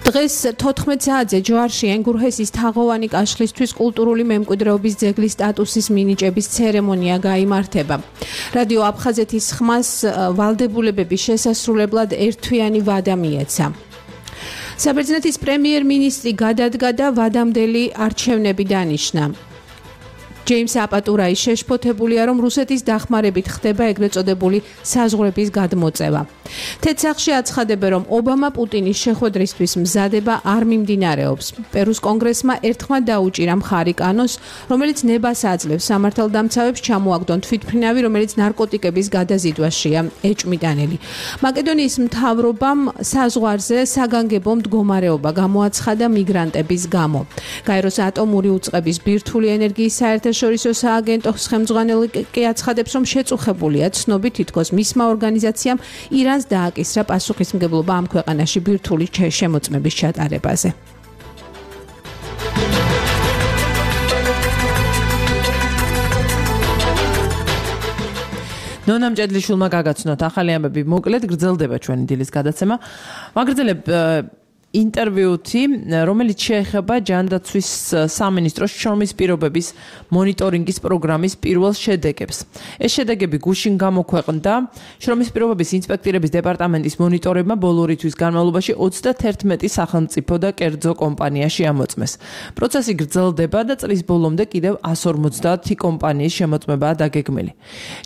დღეს თოთხმეტ საათზე ჯვარში ენგურჰესის თაღოვანი კაშხლისთვის კულტურული მემკვიდრეობის ძეგლის სტატუსის მინიჭების ცერემონია გაიმართება. რადიო აფხაზეთის ხმას ვალდებულებების შესასრულებლად ერთთვიანი ვადა მიეცა. საბერძნეთის პრემიერ-მინისტრი გადადგა და ვადამდელი არჩევნები დანიშნა. ჯეიმს აპატურაი შეშფოთებულია, რომ რუსეთის დახმარებით ხდება ეგრეთ წოდებული საზღვრების გადმოწევა. თეთრსახში აცხადებენ, რომ ობამა პუტინის შეხვედრისთვის მზადება არ მიმდინარეობს. პერუს კონგრესმა ერთხმად დაუჭირა მხარი კანონს, რომელიც ნებას აძლევს სამართალდამცავებს ჩამოაგდონ თვითმფრინავი, რომელიც ნარკოტიკების გადაზიდვაშია ეჭვმიტანელი. მაკედონიის მთავრობამ საზღვარზე საგანგებო მდგომარეობა გამოაცხადა მიგრანტების გამო. გაეროს ატომური უწყების ბირთვული ენერგიის საერთაშორისო შორისო სააგენტოს ხელმძღვანელი კი აცხადებს, რომ შეწუხებულია ცნობით თითქოს მისმა ორგანიზაციამ ირანს დააკისრა პასუხისმგებლობა ამ ქვეყანაში ბირთვული შემოწმების ჩატარებაზე. ნონა მჭედლიშვილმა გაგაცნოთ ახალი ამბები, მოკლედ გრძელდება ჩვენი დილის გადაცემა. ვაგრძელებ ინტერვიუთი, რომელიც შეეხება ჯანდაცვის სამინისტროს შრომის პირობების მონიტორინგის პროგრამის პირველ შედეგებს. ეს შედეგები გუშინ გამოქვეყნდა შრომის პირობების ინსპექტირების დეპარტამენტის მონიტორებმა ბოლო ორი თვის განმავლობაში ოცდაათერთმეტი სახელმწიფო და კერძო კომპანიაში ამოწმეს. პროცესი გრძელდება და წლის ბოლომდე კიდევ εκατს ორმოცდაათი კომპანიის შემოწმებაა დაგეგმილი.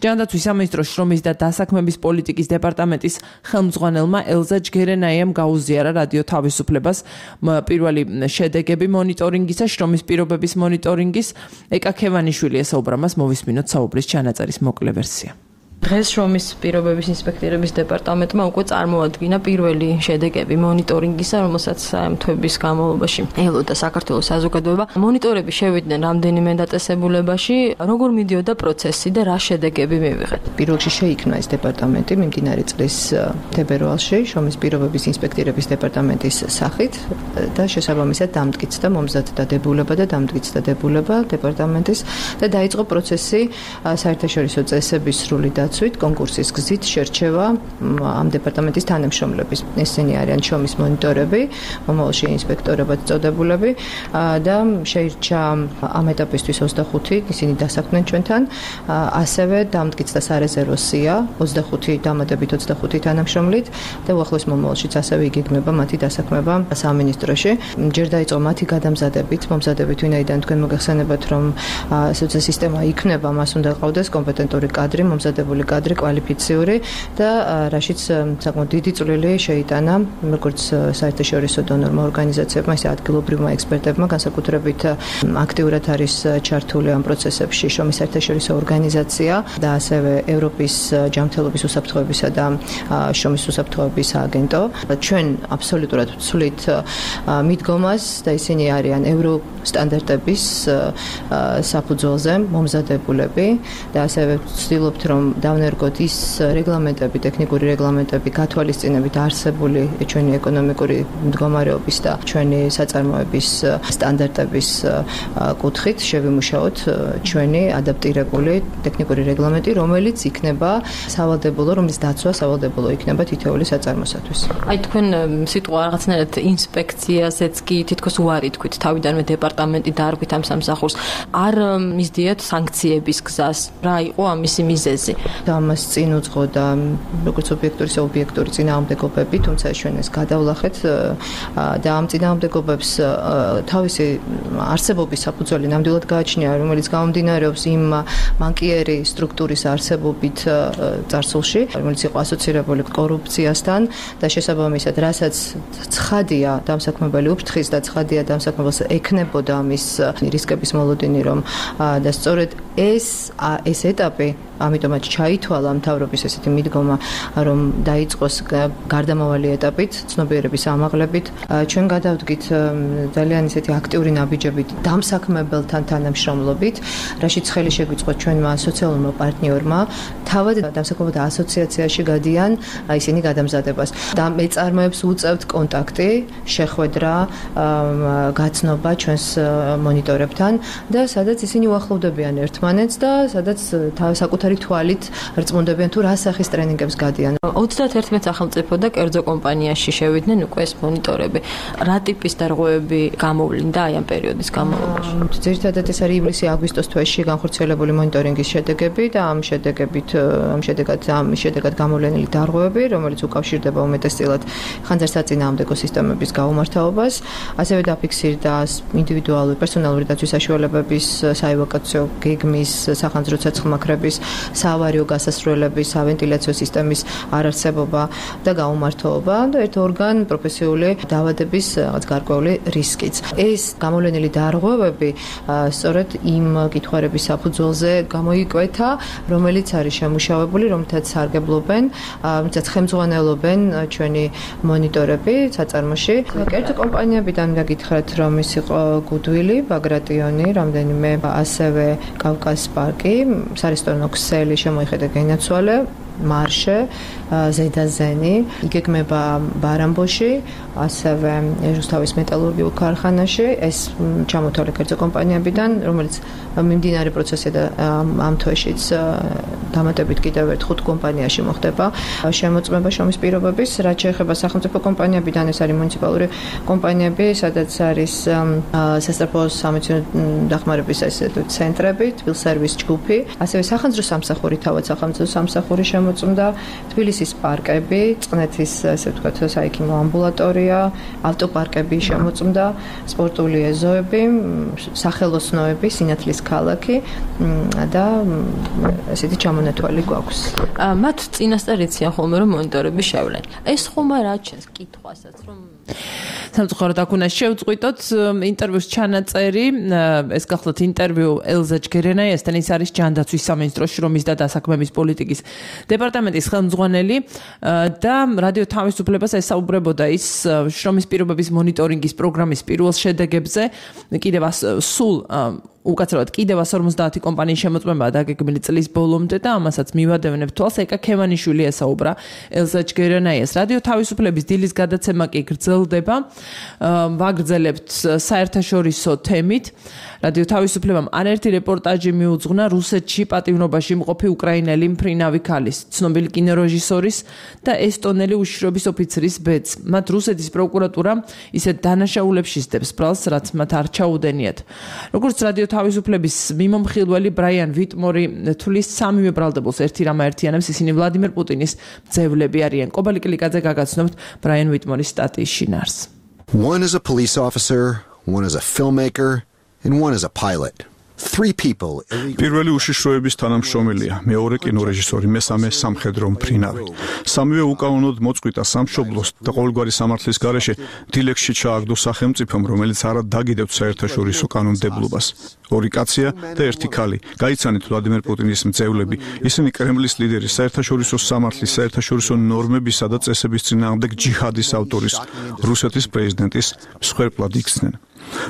ჯანდაცვის სამინისტროს შრომის და დასაქმების პოლიტიკის დეპარტამენტის ხელმძღვანელმა ელზა ჯგერენაიამ გაუზიარა რადიო თავის უფლებას პირველი შედეგები მონიტორინგისა, შრომის პირობების მონიტორინგის. ეკა ქევანიშვილი ესაუბრა მას, მოვისმინოთ საუბრის ჩანაწერის მოკლე ვერსია. დღეს შრომის პირობების ინსპექტირების დეპარტამენტმა უკვე წარმოადგინა პირველი შედეგები მონიტორინგისა, რომელსაც თვეების განმავლობაში ელოდა საქართველოს საზოგადოება. მონიტორები შევიდნენ რამდენიმე დაწესებულებაში, როგორ მიდიოდა პროცესი და რა შედეგები მივიღეთ. პირველში შეიქმნა ეს დეპარტამენტი მიმდინარე წლის თებერვალში შრომის პირობების ინსპექტირების დეპარტამენტის სახით და შესაბამისად დამტკიცდა მომზადდა დებულება და დამტკიცდა დებულება დეპარტამენტის და დაიწყო პროცესი საერთაშორისო წესების სრული დაცვით კონკურსის გზით შერჩევა ამ დეპარტამენტის თანამშრომლების. ესენი არიან შრომის მონიტორები, მომავალში ინსპექტორებად წოდებულები და შეირჩა ამ ეტაპისთვის ოცდახუთი, ისინი დასაქმდნენ ჩვენთან, ასევე დამტკიცდა სარეზერვო სია, ოცდახუთი დამატებით ოცდახუთი თანამშრომლით და უახლოეს მომავალშიც ასევე იგეგმება მათი დასაქმება სამინისტროში. ჯერ დაიწყო მათი გადამზადებით, მომზადებით, ვინაიდან თქვენ მოგეხსენებათ, რომ სოციალური სისტემა იქნება, მას უნდა ყავდეს კომპეტენტური კადრი, მომზადებული კადრი, კვალიფიციური და რაშიც საკმაოდ დიდი წვლილი შეიტანა როგორც საერთაშორისო დონორმა ორგანიზაციებმა, ისე ადგილობრივმა ექსპერტებმა, განსაკუთრებით აქტიურად არის ჩართული ამ პროცესებში შრომის საერთაშორისო ორგანიზაცია და ასევე ევროპის ჯანმრთელობის უსაფრთხოებისა და შრომის უსაფრთხოების სააგენტო. ჩვენ აბსოლუტურად ვცვლით მიდგომას და ისინი არიან ევრო სტანდარტების საფუძველზე მომზადებულები და ასევე ვცდილობთ, რომ დავნერგოთ ის რეგლამენტები, ტექნიკური რეგლამენტები, გათვალისწინებით არსებული ჩვენი ეკონომიკური მდგომარეობის და ჩვენი საწარმოების სტანდარტების კუთხით შევიმუშაოთ ჩვენი ადაპტირებული ტექნიკური რეგლამენტი, რომელიც იქნება სავალდებულო, რომლის დაცვა სავალდებულო იქნება თითოეული საწარმოსათვის. აი თქვენ სიტყვა რაღაცნაირად ინსპექციაზეც კი თითქოს უარი თქვით, თავიდანვე დეპარტამენტი დაარქვით ამ სამსახურს. არ მისდიეთ სანქციების გზას. რა იყო ამისი მიზეზი? და ამას წინ უძღოდა როგორც ობიექტური, ისე ობიექტური წინააღმდეგობები, თუმცა ჩვენ ეს გადავლახეთ და ამ წინააღმდეგობებს თავისი არსებობის საფუძველი ნამდვილად გააჩნია, რომელიც გამომდინარეობს იმ მანკიერი სტრუქტურის არსებობით წარსულში, რომელიც იყო ასოცირებული კორუფციასთან და შესაბამისად, რასაც ცხადია დამსაქმებელი უფრთხის და ცხადია დამსაქმებელს ექნებოდა ამის რისკების მოლოდინი, რომ და სწორედ ეს ეს ეტაპი ამიტომაც ჩაი გაითვალა მთავრობის ესეთი მიდგომა, რომ დაიწყოს გარდამავალი ეტაპით, ცნობიერების ამაღლებით. ჩვენ გადავდგით ძალიან ესეთი აქტიური ნაბიჯებით დამსაქმებელთან თანამშრომლობით, რაშიც ხელი შეგვიწყო ჩვენმა სოციალურმა პარტნიორმა, თავად დამსაქმებელთა ასოციაციაში გადიან ისინი გადამზადებას. და მეწარმეებს უწევთ კონტაქტი, შეხვედრა, გაცნობა ჩვენს მონიტორებთან და სადაც ისინი უახლოვდებიან ერთმანეთს და სადაც საკუთარი თვალით რწმუნდებიან თუ რა სახის ტრენინგებს გადიან. ოცდაათერთმეტ სახელმწიფო და კერძო კომპანიაში შევიდნენ უკვე ეს მონიტორები. რა ტიპის დარღვევები გამოვლინდა აი ამ პერიოდის განმავლობაში? ძირითადად ეს არის ივლისი-აგვისტოს თვეში განხორციელებული მონიტორინგის შედეგები და ამ შედეგებით ამ შედეგად ამ შედეგად გამოვლენილი დარღვევები, რომელიც უკავშირდება უმეტესწილად ხანძარსაწინააღმდეგო სისტემების გაუმართავობას, ასევე დაფიქსირდა ინდივიდუალური პერსონალური დაცვის საშუალებების, საევაკუაციო გეგმის, სახანძრო ცეცხლმაქრების, საავარიო გასასვლელების, სავენტილიაციო სისტემის არარსებობა და გაუმართოობა და ერთ ორგან პროფესიული დაავადების რაღაც გარკვეული რისკიც. ეს გამოვლენილი დარღვევები სწორედ იმ კითხვარების საფუძველზე გამოიკვეთა, რომელიც არის შემუშავებული, რომელთაც სარგებლობენ, რომელთაც ხელმძღვანელობენ ჩვენი მონიტორები საწარმოში. კერძო კომპანიებიდან გაგითხრათ, რომ ის იყო გუდვილი, ბაგრატიონი, რამდენიმე ასევე კავკას პარკი, სარესტორანო ქსელი შემოიხედა გენაცვალე, მარშე, ზედაზენი, იგეგმება ბარამბოში, ასევე რუსთავის მეტალურგიულ ქარხანაში, ეს ჩამოთვალე კერძო კომპანიებიდან, რომელიც მიმდინარე პროცესზე და ამ თვეშიც დამატებით კიდევ ერთ ხუთ კომპანიაში მოხდება შემოწმება შრომის პირობების, რაც შეეხება სახელმწიფო კომპანიებიდან, ეს არის მუნიციპალური კომპანიები, სადაც არის სასწრაფო სამეცნიერო დახმარების ესე ცენტრები, თბილსერვის ჯგუფი, ასევე სახანძრო სამსახური, თავად სახანძრო სამსახური შემოწმდა, თბილისის პარკები, წყნეთის ესე ვთქვათ საექიმო ამბულატორია, ავტოპარკები შემოწმდა, სპორტული ეზოები, სახელოსნოები, სინათლის ქალაქი და ესეთი ჩამონათვალი გვაქვს. მათ წინასწარ იციან ხოლმე რომ მონიტორები შევლენ. ეს ხომ არ აჩენს კითხვასაც რომ სამწუხაროდ აქ უნდა შევწყვიტოთ ინტერვიუს ჩანაწერი, ეს გახლავთ ინტერვიუ ელზა ჯგერენაიასთან, ის არის ჯანდაცვის სამინისტროს შრომის და დასაქმების პოლიტიკის დეპარტამენტის ხელმძღვანელი და რადიო თავისუფლებას ესაუბრებოდა ის შრომის პირობების მონიტორინგის პროგრამის პირველ შედეგებზე, კიდევ სულ უკაცრავად კიდევ ას ორმოცდაათი კომპანიის შემოწმებაა დაგეგმილი წლის ბოლომდე და ამასაც მივადევნებ თვალს. ეკა ქევანიშვილი ესაუბრა ელზა ჯგერენაიას. რადიო თავისუფლების დილის გადაცემა კი გრძელდება. ვაგრძელებთ საერთაშორისო თემით. რადიო თავისუფლებამ არაერთი რეპორტაჟი მიუძღვნა რუსეთში პატიმრობაში მყოფი უკრაინელი მფრინავი ქალის, ცნობილი კინორეჟისორის და ესტონელი უშიშროების ოფიცრის ბედს. მათ რუსეთის პროკურატურა ისეთ დანაშაულებს სდებს ბრალს, რაც მათ არ ჩაუდენიათ. როგორც რადიო თავისუფლების მიმომხილველი ბრაიან ვიტმორი თulis სამივე ბრალდებულს ერთი რამ აერთიანებს, ისინი ვლადიმერ პუტინის მძევლები არიან. კობალი კლიკაძე გაგაცნობთ ბრაიან ვიტმორის სტატიის შინაარს. One is a police officer, one is a filmmaker, and one is a pilot. Three people. პირველი უშიშროების თანამშრომელია, მეორე კინორეჟისორი, მესამე სამხედრო მფრინავი. სამივე უკანონოდ მოწყვიტა სამშობლოს და ყოველგვარი სამართლის გარეშე დილეგში ჩააგდო სახელმწიფომ, რომელიც არა დაგიდევთ საერთაშორისო კანონმდებლობას. ორი კაცია და ერთი ქალი. გაიცანით ვლადიმერ პუტინის მძევლები. ისინი კრემლის ლიდერის, საერთაშორისო სამართლის, საერთაშორისო ნორმებისა და წესების წინააღმდეგ ჯიჰადის ავტორის, რუსეთის პრეზიდენტის მსხვერპლად იქცნენ.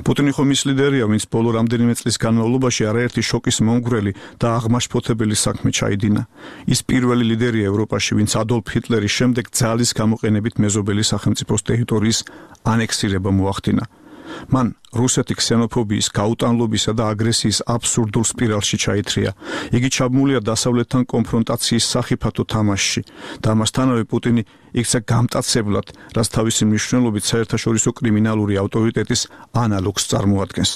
პუტინი ხომ ის ლიდერია, ვინც ბოლო რამდენიმე წლის განმავლობაში არაერთი შოკის მომგვრელი და აღმაშფოთებელი საქმე ჩაიდინა. ის პირველი ლიდერია ევროპაში, ვინც ადოლფ ჰიტლერის შემდეგ ძალის გამოყენებით მეზობელი სახელმწიფოს ტერიტორიის ანექსირება მოახდინა. მან რუსეთი ქსენოფობიის, გაუტანლობისა და აგრესიის აბსურდულ სპირალში ჩაითრია. იგი ჩაბმულია დასავლეთთან კონფრონტაციის სახიფათო თამაშში და ამასთანავე პუტინი იქცა გამტაცებლად, რაც თავისი მნიშვნელობით საერთაშორისო კრიმინალური ავტორიტეტის ანალოგს წარმოადგენს.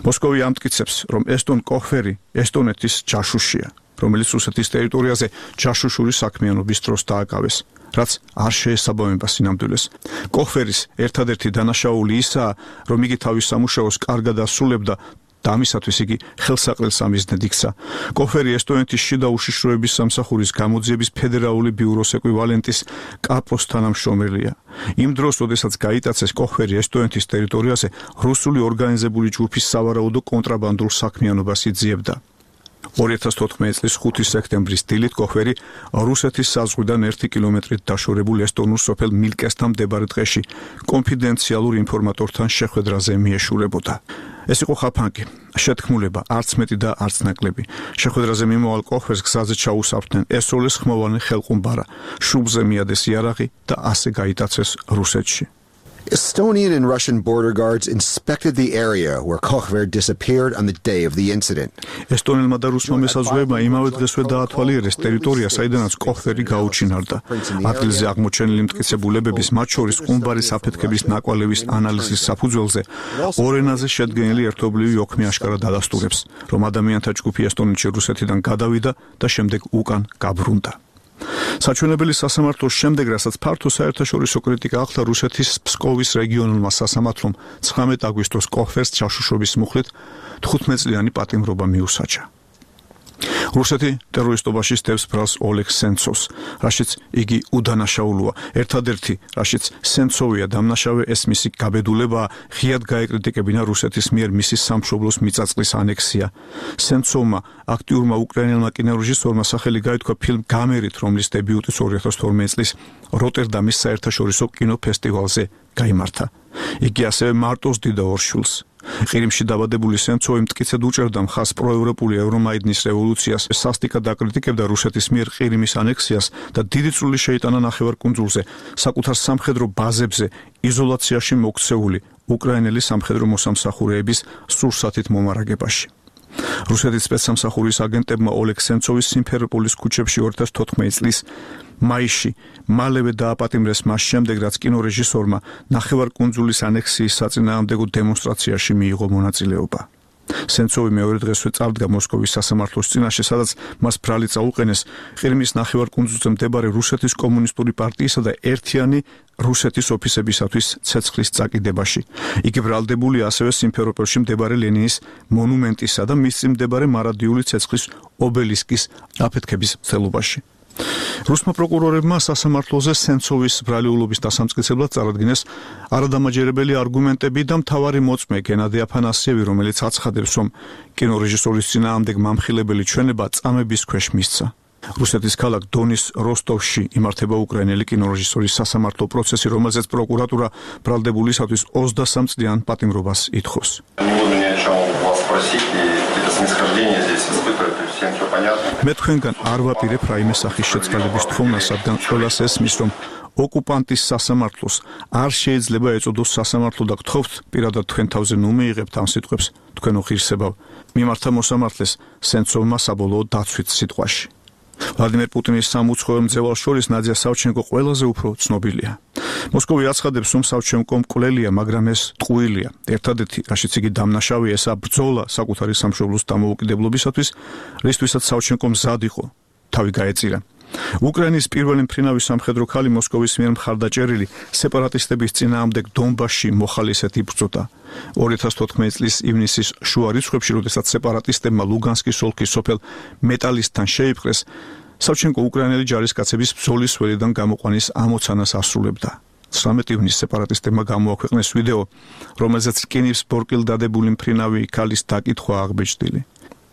მოსკოვი ამტკიცებს, რომ ესტონ კოხფერი ესტონეთის ჯაშუშია, რომელიც რუსეთის ტერიტორიაზე ჯაშუშური საქმიანობის დროს დააკავეს, რაც არ შეესაბამება სინამდვილეს. კოხფერის ერთადერთი დანაშაული ისაა, რომ იგი თავის სამუშაოს კარგად ასრულებდა და ამისათვის იგი ხელსაყრელ სამიზნედ იქცა. კოხფერი ესტონეთის შიდა უშიშროების სამსახურის გამოძიების ფედერალური ბიუროს ეკვივალენტის კაპოს თანამშრომელია. იმ დროს, როდესაც გაიტაცეს კოხფერი ესტონეთის ტერიტორიაზე რუსული ორგანიზებული ჯგუფის სავარაუდო კონტრაბანდულ საქმიანობას იძიებდა. ორი ათას თოთხმეტი წლის ხუთი სექტემბრის დილით კოხვერი რუსეთის საზღვრიდან ერთი კილომეტრით დაშორებულ ესტონურ სოფელ მილკესთან მდებარე ტყეში კონფიდენციალურ ინფორმატორთან შეხვედრაზე მიეშურებოდა. ეს იყო ხაფანგი, შეთქმულება, არც მეტი და არც ნაკლები. შეხვედრაზე მიმოვალ კოხვერს გზაზე ჩაუსაფრდნენ ესროლეს ხმოვანი ხელყუმბარა, შუბზე მიადეს იარაღი და ასე გაიტაცეს რუსეთში. Estonian and Russian border guards inspected the area where Kochver disappeared on the day of the incident. ესტონელმა და რუსმა მესაზღვრეებმა იმავე დღესვე დაათვალიერეს ტერიტორია, საიდანაც კოხვერი გაუჩინარდა. ადგილზე აღმოჩენილი მტკიცებულებების, მათ შორის ყუმბარის აფეთქების ნაკვალევის ანალიზის საფუძველზე ორ ენაზე შედგენილი ერთობლივი ოქმი აშკარად ადასტურებს, რომ ადამიანთა ჯგუფი ესტონეთში რუსეთიდან გადავიდა და შემდეგ უკან გაბრუნდა. საჩვენებელი სასამართლოს შემდეგ, რასაც ფართო საერთაშორისო კრიტიკა ახლა რუსეთის ფსკოვის რეგიონულმა სასამართლომ ცხრამეტ აგვისტოს კოხვერს ჩაშუშობის მუხლით თხუთმეტწლიანი პატიმრობა მიუსაჯა. რუსეთი ტერორისტობაში სტევს ბრალს ოლეგ სენცოვს, რაშიც იგი უდანაშაულოა. ერთადერთი, რაშიც სენცოვია დამნაშავე, ეს მისი გაბედულებაა, ღიად გაეკრიტიკებინა რუსეთის მიერ მისი სამშობლოს მიწაწყლის ანექსია. სენცოვმა, აქტიურმა უკრაინელმა კინორეჟისორმა სახელი გაითქვა ფილმ გამერით, რომლის დებიუტიც ორი ათას თორმეტი წლის როტერდამის საერთაშორისო კინოფესტივალზე გაიმართა. იგი ასევე მარტოს დიდ ორშულს. ყირიმში დაბადებული სენცოვი მტკიცედ უჭერდა მხარს პროევროპული ევრომაიდნის რევოლუციას, სასტიკად აკრიტიკებდა რუსეთის მიერ ყირიმის ანექსიას და დიდი წვლილი შეიტანა ნახევარკუნძულზე, საკუთარ სამხედრო ბაზებზე, იზოლაციაში მოქცეული უკრაინელი სამხედრო მოსამსახურეების სურსათით მომარაგებაში. რუსეთის სპეცსამსახურის აგენტებმა ოლეგ სენცოვის სიმფეროპოლის ქუჩებში ორი ათას თოთხმეტი წლის მაისში მალევე დააპატიმრეს მას შემდეგ, რაც კინორეჟისორმა ნახევარკუნძულის ანექსიის საწინააღმდეგო დემონსტრაციაში მიიღო მონაწილეობა. სენცოვი მეორე დღესვე წავდგა მოსკოვის სასამართლოს წინაშე, სადაც მას ბრალი წაუყენეს ყირიმის ნახევარკუნძულზე მდებარე რუსეთის კომუნისტური პარტიისა და ერთიანი რუსეთის ოფისებისათვის ცეცხლის წაკიდებაში. იგი ბრალდებულია ასევე სიმფეროპოლში მდებარე ლენინის მონუმენტისა და მის წინ მდებარე მარადიული ცეცხლის ობელისკის აფეთქების მცდელობაში. რუსმა პროკურორებმა სასამართლოზე სენცოვის ბრალიულობის დასამტკიცებლად წარადგინეს არადამაჯერებელი არგუმენტები და მთავარი მოწმე გენადი აფანასიევი, რომელიც აცხადებს, რომ კინორეჟისორის წინააღმდეგ მამხილებელი ჩვენება წამების ქვეშ მისცა. რუსეთის ქალაქ დონის როსტოვში იმართება უკრაინელი კინორეჟისორის სასამართლო პროცესი, რომელზეც პროკურატურა ბრალდებულისათვის ოცდასამ წლიან პატიმრობას ითხოვს. მე თქვენგან არ ვაპირებ რაიმე სახის შეწყალების თხოვნას, რადგან ყველას ესმის, რომ ოკუპანტის სასამართლოს არ შეიძლება ეწოდოს სასამართლო და გთხოვთ პირადად თქვენ თავზე ნუ მიიღებთ ამ სიტყვებს თქვენო ღირსებავ. მიმართა მოსამართლეს სენცოვმა საბოლოო დაცვით სიტყვაში. ვლადიმერ პუტინის სამუცხოველ მძევალს შორის ნადია სავჩენკო ყველაზე უფრო ცნობილია. მოსკოვი აცხადებს, რომ სავჩენკო მკვლელია, მაგრამ ეს ტყუილია. ერთადერთი, რაშიც იგი დამნაშავეა, ესაა ბრძოლა საკუთარი სამშობლოს დამოუკიდებლობისათვის, რისთვისაც სავჩენკო მზად იყო თავი გაეწირა. უკრაინის პირველი მფრინავის სამხედრო ქალი მოსკოვის მიერ მხარდაჭერილი სეპარატისტების წინააღმდეგ დონბასში მოხალისედ იბრძოდა. ორი ათას თოთხმეტი წლის ივნისის შუა რიცხვებში, როდესაც სეპარატისტებმა ლუგანსკის ოლქის სოფელ მეტალისთან შეიპყრეს, სავჩენკო უკრაინელი ჯარისკაცების ბრძოლის ველიდან გამოყვანის ამოცანას ასრულებდა. ცხრამეტი ივნისს სეპარატისტებმა გამოაქვეყნეს ვიდეო, რომელზეც რკინობს ბორკილ დადებული მფრინავი ქალის დაკითხვა აღბეჭდილი.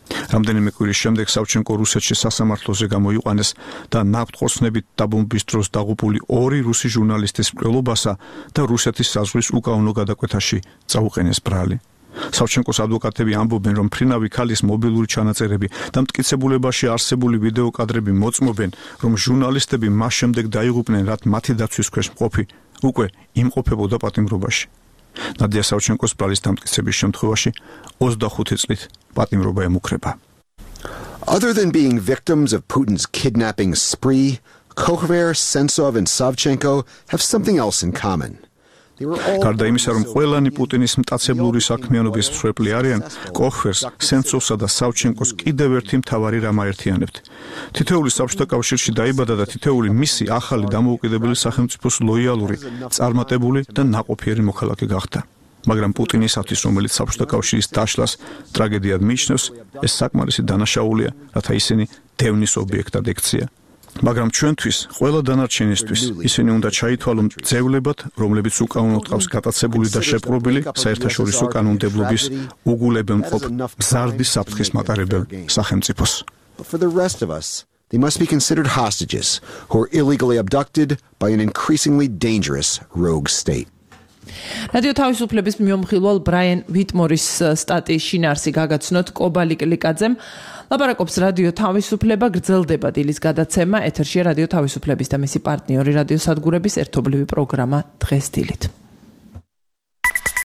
რამდენიმე კვირის შემდეგ სავჩენკო რუსეთში სასამართლოზე გამოიყვანეს და ნაფტხოსნებით დაბომბვის დროს დაღუპული ორი რუსი ჟურნალისტის მკვლელობასა და რუსეთის საზღვრის უკანონო გადაკვეთაში წაუყენეს ბრალი. სავჩენკოს ადვოკატები ამბობენ, რომ მფრინავი ქალის მობილური ჩანაწერები და მტკიცებულებაში არსებული ვიდეო კადრები მოწმობენ, რომ ჟურნალისტები მას შემდეგ დაიღუპნენ, რაც მათი დაცვის ქვეშ მყოფი უკვე იმყოფებოდა პატიმრობაში. ნადია სავჩენკოს ბრალის დამტკიცების შემთხვევაში ოცდახუთი წლით პატიმრობა ემუქრება. Other than being victims of Putin's kidnapping spree, Kochver, Sentsov and Savchenko have something else in common. გარდა იმისა, რომ ყველანი პუტინის მტაცებლური საქმიანობის მსხვერპლი არიან, კოხვერს, სენცოვსა და სავჩენკოს კიდევ ერთი მთავარი რამ აერთიანებთ. თითოეული საბჭოთა კავშირში დაიბადა და თითოეული მისი ახალი დამოუკიდებელი სახელმწიფოს ლოიალური, წარმატებული და ნაყოფიერი მოქალაქე გახდა. მაგრამ პუტინისათვის, რომელიც საბჭოთა კავშირის დაშლას ტრაგედიად მიიჩნევს, ეს საკმარისი დანაშაულია, რათა ისინი დევნის ობიექტად ექცია. მაგრამ ჩვენთვის, ყველა დანარჩენისთვის, ისინი უნდა ჩაითვალონ ძევლებად, რომლებიც უკანონოდ ყავს გატაცებული და შეპყრობილი საერთაშორისო კანონმდებლობის უგულებელმყოფ მზარდი საფრთხის მატარებელ სახელმწიფოს. But for the rest of us, they must be considered hostages who are illegally abducted by an increasingly dangerous rogue state. რადიო თავისუფლების მიმოხილვალ ბრაიან ვიტმორის სტატიის შინაარსი გაგაცნოთ კობალი კლიკაძემ. ლაპარაკობს რადიო თავისუფლება, გრძელდება დილის გადაცემა, ეთერშია რადიო თავისუფლების და მისი პარტნიორი რადიო სადგურების ერთობლივი პროგრამა დღეს დილით.